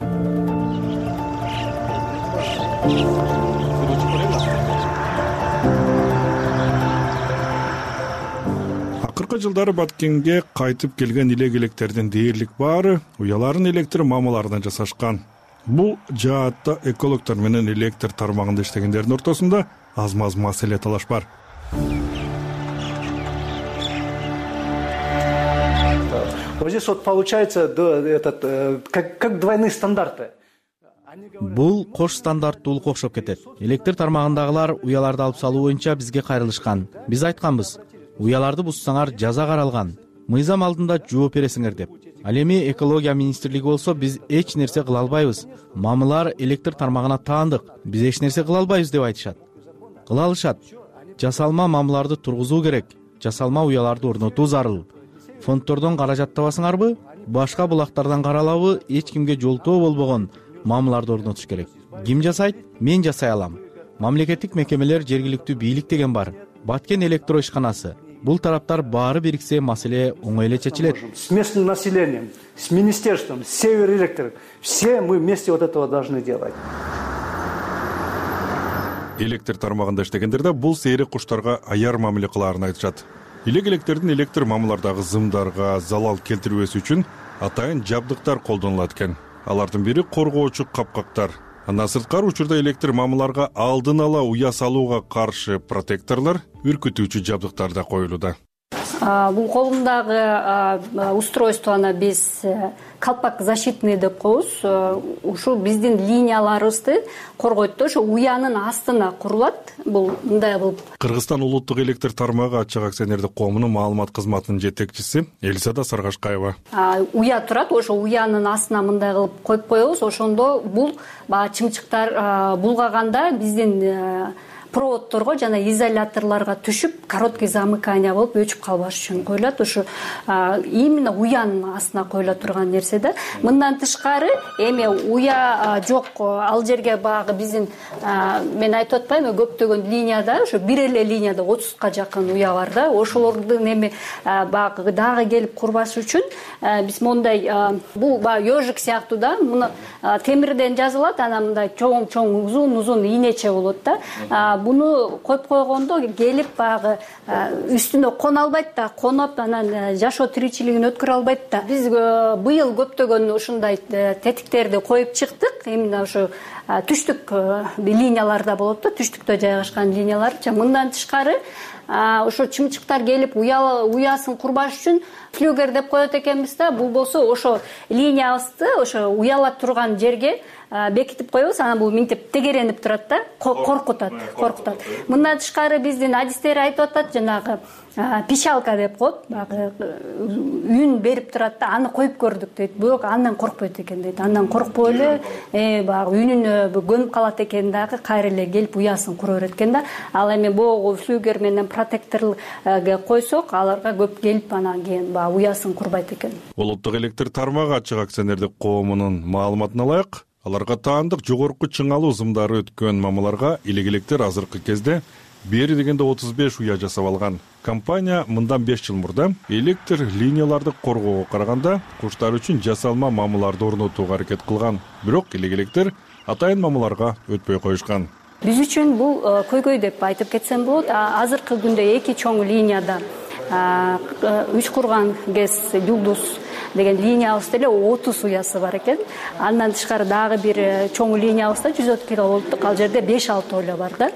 Акыркы жылдары Баткенге кайтып келген илек-илектердин дээрлик баары уяларын электр мамаларынан жасашкан. Бул жаатта экологдор менен электр тармагында иштегендердин ортосунда аз-маз маселе талаш бар. Вот здесь вот получается этот, как, как двойные стандарты. Бул кош стандарттуулукка окшоп кетет. Электр тармагындагылар уяларды алып салуу боюнча бизге кайрылышкан. Биз айтканбыз, уяларды буссаңар жаза каралган. Мыйзам алдында жооп бересиңер деп. Ал эми экология министрлиги болсо биз эч нерсе кыла албайбыз. Мамылар электр тармагына таандык. Биз эч нерсе кыла албайбыз деп айтышат. Кыла алышат. Жасалма мамыларды тургузуу керек. Жасалма уяларды орнотуу зарыл. Фонддордон каражат табасыңарбы? Башка булактардан каралабы? Эч кимге жолтоо болбогон мамыларды орнотуш керек. Ким жасайт? Мен жасай алам. Мамлекеттик мекемелер, жергиликтүү бийлик деген бар. Баткен электро ишканасы. Бул тараптар баары бириксе маселе оңой эле чечилет. С местным населением, с министерством, с Северэлектрик, все мы вместе вот этого должны делать. Электр тармагында иштегендерде бул сейрек куштарга аяр мамиле кылаарын айтышат. Илек-илектердин электр мамылардагы зымдарга залал келтирбес үчүн атайын жабдыктар колдонулат экен. Алардын бири коргоочу капкактар. Андан сырткары учурда электр мамыларга алдын ала уя салууга каршы протекторлор, үркүтүүчү жабдыктар да коюлууда. Бул колумдагы устройствону биз калпак защитный деп коебуз. Ушу биздин линияларыбызды коргойт да, ошо уянын астына курулат. Бул мындай болуп. Кыргызстан улуттук электр тармагы ачык акционердик коомунун маалымат кызматынын жетекчиси Элизада Саргашкаева. Уя турат, ошо уянын астына мындай кылып коюп коебуз. Ошондо бул баягы чымчыктар булгаганда биздин проводторго жана изоляторлорго түшүп, короткий замыкание болуп өчүп калбаш үчүн коюлат. Ошо именно уянын астына коюла турган нерсе да. Мындан тышкары эми уя жок, ал жерге багы биздин мен айтып атпаймынбы, көптөгөн линияда, ошо бир эле линияда отузга жакын уя бар да. Ошолордун эми багы дагы келип курбаш үчүн биз мондай бул баягы ёжик сыяктуу да, муну темирден жазылат, анан мындай чоң-чоң, узун-узун ийнече болот да. буну коюп койгондо келип баягы үстүнө кона албайт да, конуп анан жашоо тиричилигин өткөрө албайт да. Биз быйыл көптөгөн ушундай тетиктерди коюп чыктык. Именно ошо түштүк линияларда болот да, түштүктө жайгашкан линиялар. Мындан тышкары ошо чымчыктар келип уясын курбаш үчүн флюгер деп коет экенбиз да. Бул болсо ошо линиябызды ошо уяла турган жерге бекитип коебуз. Анан бул минтип тегеренип турат да, коркутат, коркутат. Мындан тышкары биздин адистер айтып атат, жанагы пищалка деп коет, баягы үн берип турат да, аны коюп көрдүк дейт. Бирок андан коркпойт экен дейт. Андан коркпой эле, баягы үнүнө көнүп калат экен дагы, кайра эле келип уясын кура берет экен да. Ал эми богу флюгер менен протекторго койсок, аларга көп келип анан кийин баягы уясын курбайт экен. Улуттук электр тармагы ачык акционердик коомунун маалыматына ылайык, аларга таандык жогорку чыңалуу ызымдары өткөн мамаларга илек-электер азыркы кезде бери дегенде отуз беш уя жасап алган. Компания мындан беш жыл мурда электр линияларды коргоого караганда куштар үчүн жасалма мамаларды орнотууга аракет кылган. Бирок илек-электер атайын мамаларга өтпөй коюшкан. Биз үчүн бул көйгөй деп айтып кетсем болот. Азыркы күндө эки чоң линияда үч курган гэс Юлдуз деген линиябызда эле отуз уясы бар экен. Андан тышкары дагы бир чоң линиябызда жүз отуз киловолттук, ал жерде беш алты ойло бар да.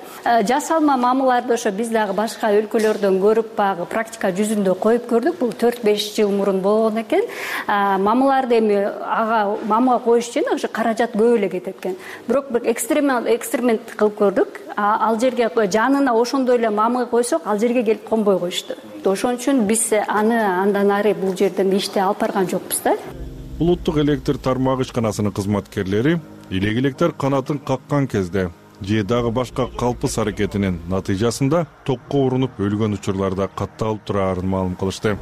Жасалма мамаларды ошо биз дагы башка өлкөлөрдөн көрүп, багы практика жүзүндө коюп көрдүк. Бул төрт беш жыл мурун болгон экен. Мамаларды эми ага мамага коюш үчүн ошо каражат көп эле кетет экен. Бирок бир эксперимент эксперимент кылып көрдүк. Ал жерге жанына ошондой эле мамы койсок, ал жерге келип конбой коюшту. Ошон үчүн биз аны андан ары бул жерден ишти алып барган жокпуз да. Улуттук электр тармагы ишканасынын кызматкерлери илек-электер канатын каккан кезде же дагы башка калпыс аракетинин натыйжасында токко урунуп өлгөн учурларда катталып турарын маалым кылышты.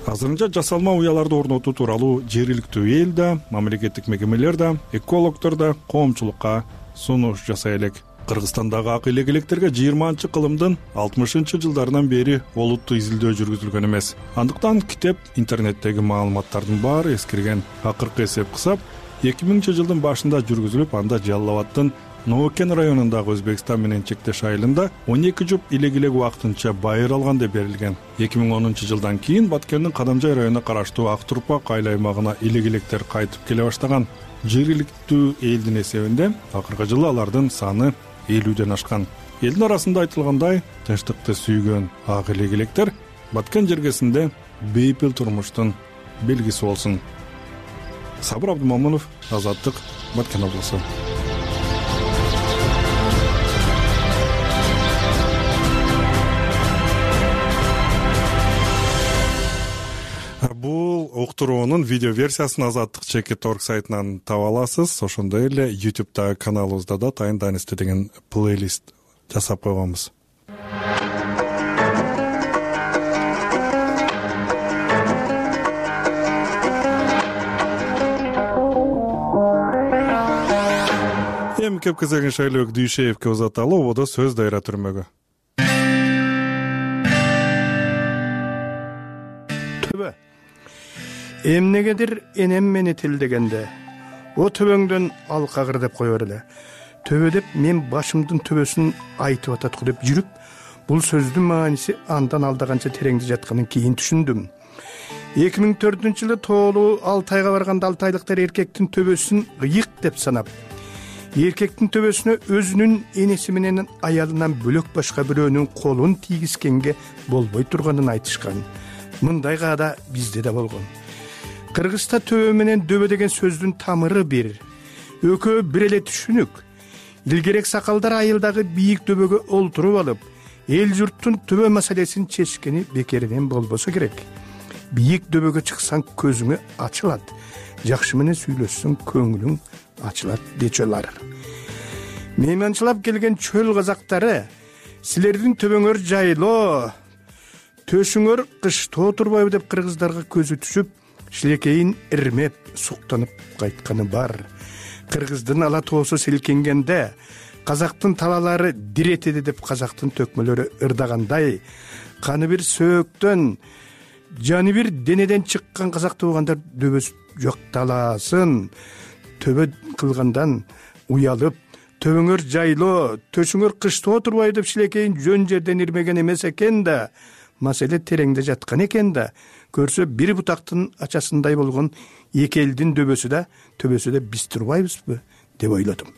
Азырынча жасалма уяларды орнотуу тууралуу жергиликтүү эл да, мамлекеттик мекемелер да, экологдор да коомчулукка сунуш жасай элек. Кыргызстандагы ак илек-электерге жыйырманчы кылымдын алтымышынчы жылдарынан бери олуттуу изилдөө жүргүзүлгөн эмес. Андыктан китеп, интернеттеги маалыматтардын баары эскирген. Акыркы эсеп кысап, эки миңинчи жылдын башында жүргүзүлүп, анда Жалал Абаддын Ноокен районундагы Өзбекстан менен чектеш айылында он эки жуп илек-элек убактынча байыр алган деп берилген. эки миң онунчу жылдан кийин Баткендин Кадамжай районуна караштуу Ак Турпак айыл аймагына илек-электер кайтып келе баштаган. Жергиликтүү элдин эсебинде акыркы жылы алардын саны элүүдөн ашкан. Элдин арасында айтылгандай, тынчтыкты сүйгөн ак илек-электер Баткен жергесинде бейпил турмуштун белгиси болсун. Сабыр Абдымомунов, Азаттык, Баткен облусу. Бул уктуруунун видео версиясын Азаттык чекит точка орг сайтынан таба аласыз. Ошондой эле ютубта каналыбызда да Тайын Данисте деген плейлист жасап койгонбуз. Эми кеп кезегин Шайлоок Дүйшеевке узаталы, ободо сөз дайра түрмөгө. Төбө. Эмнегедир энем мени тилдегенде, о төбөңдөн ал кагыр деп кое бер эле. Төбө деп мен башымдын төбөсүн айтып атат деп жүрүп, бул сөздүн мааниси андан алда канча тереңде жатканын кийин түшүндүм. эки миң төртүнчү жылы тоолуу Алтайга барганда алтайлыктар эркектин төбөсүн ыйык деп санап, эркектин төбөсүнө өзүнүн энеси менен аялынан бөлөк башка бирөөнүн колун тийгизгенге болбой турганын айтышкан. Мындай каада бизде да болгон. Кыргызда төбө менен дөбө деген сөздүн тамыры бир. Экөө бир эле түшүнүк. Илгерек сакалдар айылдагы бийик дөбөгө олтуруп алып, эл журттун төбө маселесин чечкени бекеринен болбосо керек. Бийик дөбөгө чыксаң көзүңө ачылат, жакшы менен сүйлөшсөң көңүлүң ачылат дечелар. Мейманчылап келген чөл казактары, силердин төбөңөр жайлоо, төшүңөр кышта турбайбы деп кыргыздарга көзү түшүп, шилекейин ирмеп, суктанып кайтканы бар. Кыргыздын ала тоосу селкенгенде, казактын талалары диретеди деп казактын төкмөлөрү ырдагандай, каны бир сөөктөн, жаны бир денеден чыккан казак туугандар дөбөс жокталасын. төбө кылгандан уялып, төбөңөр жайлоо, төшүңөр кышта отурбай деп шилекейин жөн жерден ирмеген эмес экен да. Маселе тереңде жаткан экен да. Көрсө бир бутактын ачасындай болгон эки элдин дөбөсү да, төбөсү да биз турбайбызбы деп ойлодум.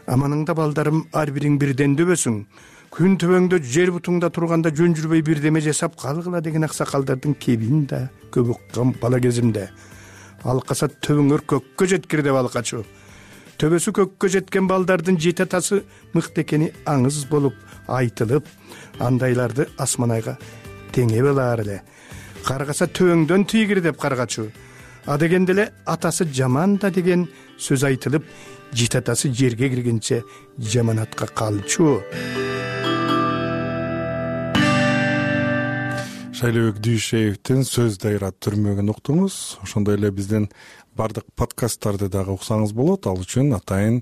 Аманыңда балдарым, ар бириң бирден дөбөсүң. Күн төбөңдө жер бутуңда турганда жөн жүрбөй бирдеме жасап калгыла деген аксакалдардын кебин да көп уккан бала кезимде. Алкаса төбөңөр көккө жеткир деп алкачу. Төбөсү көккө жеткен балдардын жети атасы мыкты экени аңыз болуп айтылып, андайларды асманайга теңе белаар эле. Каргаса төбөңдөн тийгир деп каргачу. А дегенде эле атасы жаман да деген сөз айтылып, жети атасы жерге киргенче жаманатка калчу. Шайлообек Дүйшеевдин сөз дайрат түрмөгүн уктуңуз. Ошондой эле биздин бардык подкасттарды дагы уксаңыз болот. Ал үчүн атайын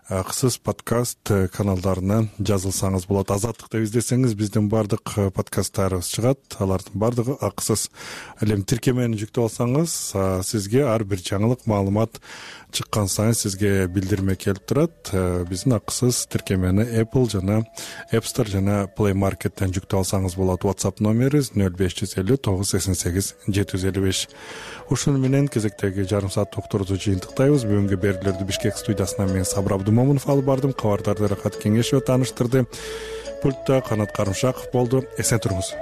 акысыз подкаст каналдарына жазылсаңыз болот. Азаттык деп издесеңиз биздин бардык подкасттарыбыз чыгат. Алардын бардыгы акысыз. Ал эми тиркемени жүктөп алсаңыз, сизге ар бир жаңылык, маалымат чыккан сайын сизге билдирме келип турат. Биздин акысыз тиркемени Apple жана App Store жана Play Market'тен жүктөп алсаңыз болот. WhatsApp номерибиз нөл беш жүз элүү тогуз сексен сегиз жети жүз элүү беш. Ушуну менен кезектеги жарым саат уктурууну жыйынтыктайбыз. Бүгүнкү берүүлөрдү Бишкек студиясынан мен Сабыр Абдумомунов алып бардым. Кабардарды Рахат Кеңешева тааныштырды. Пультта Канат Карымшаков болду. Эсен туруңуз.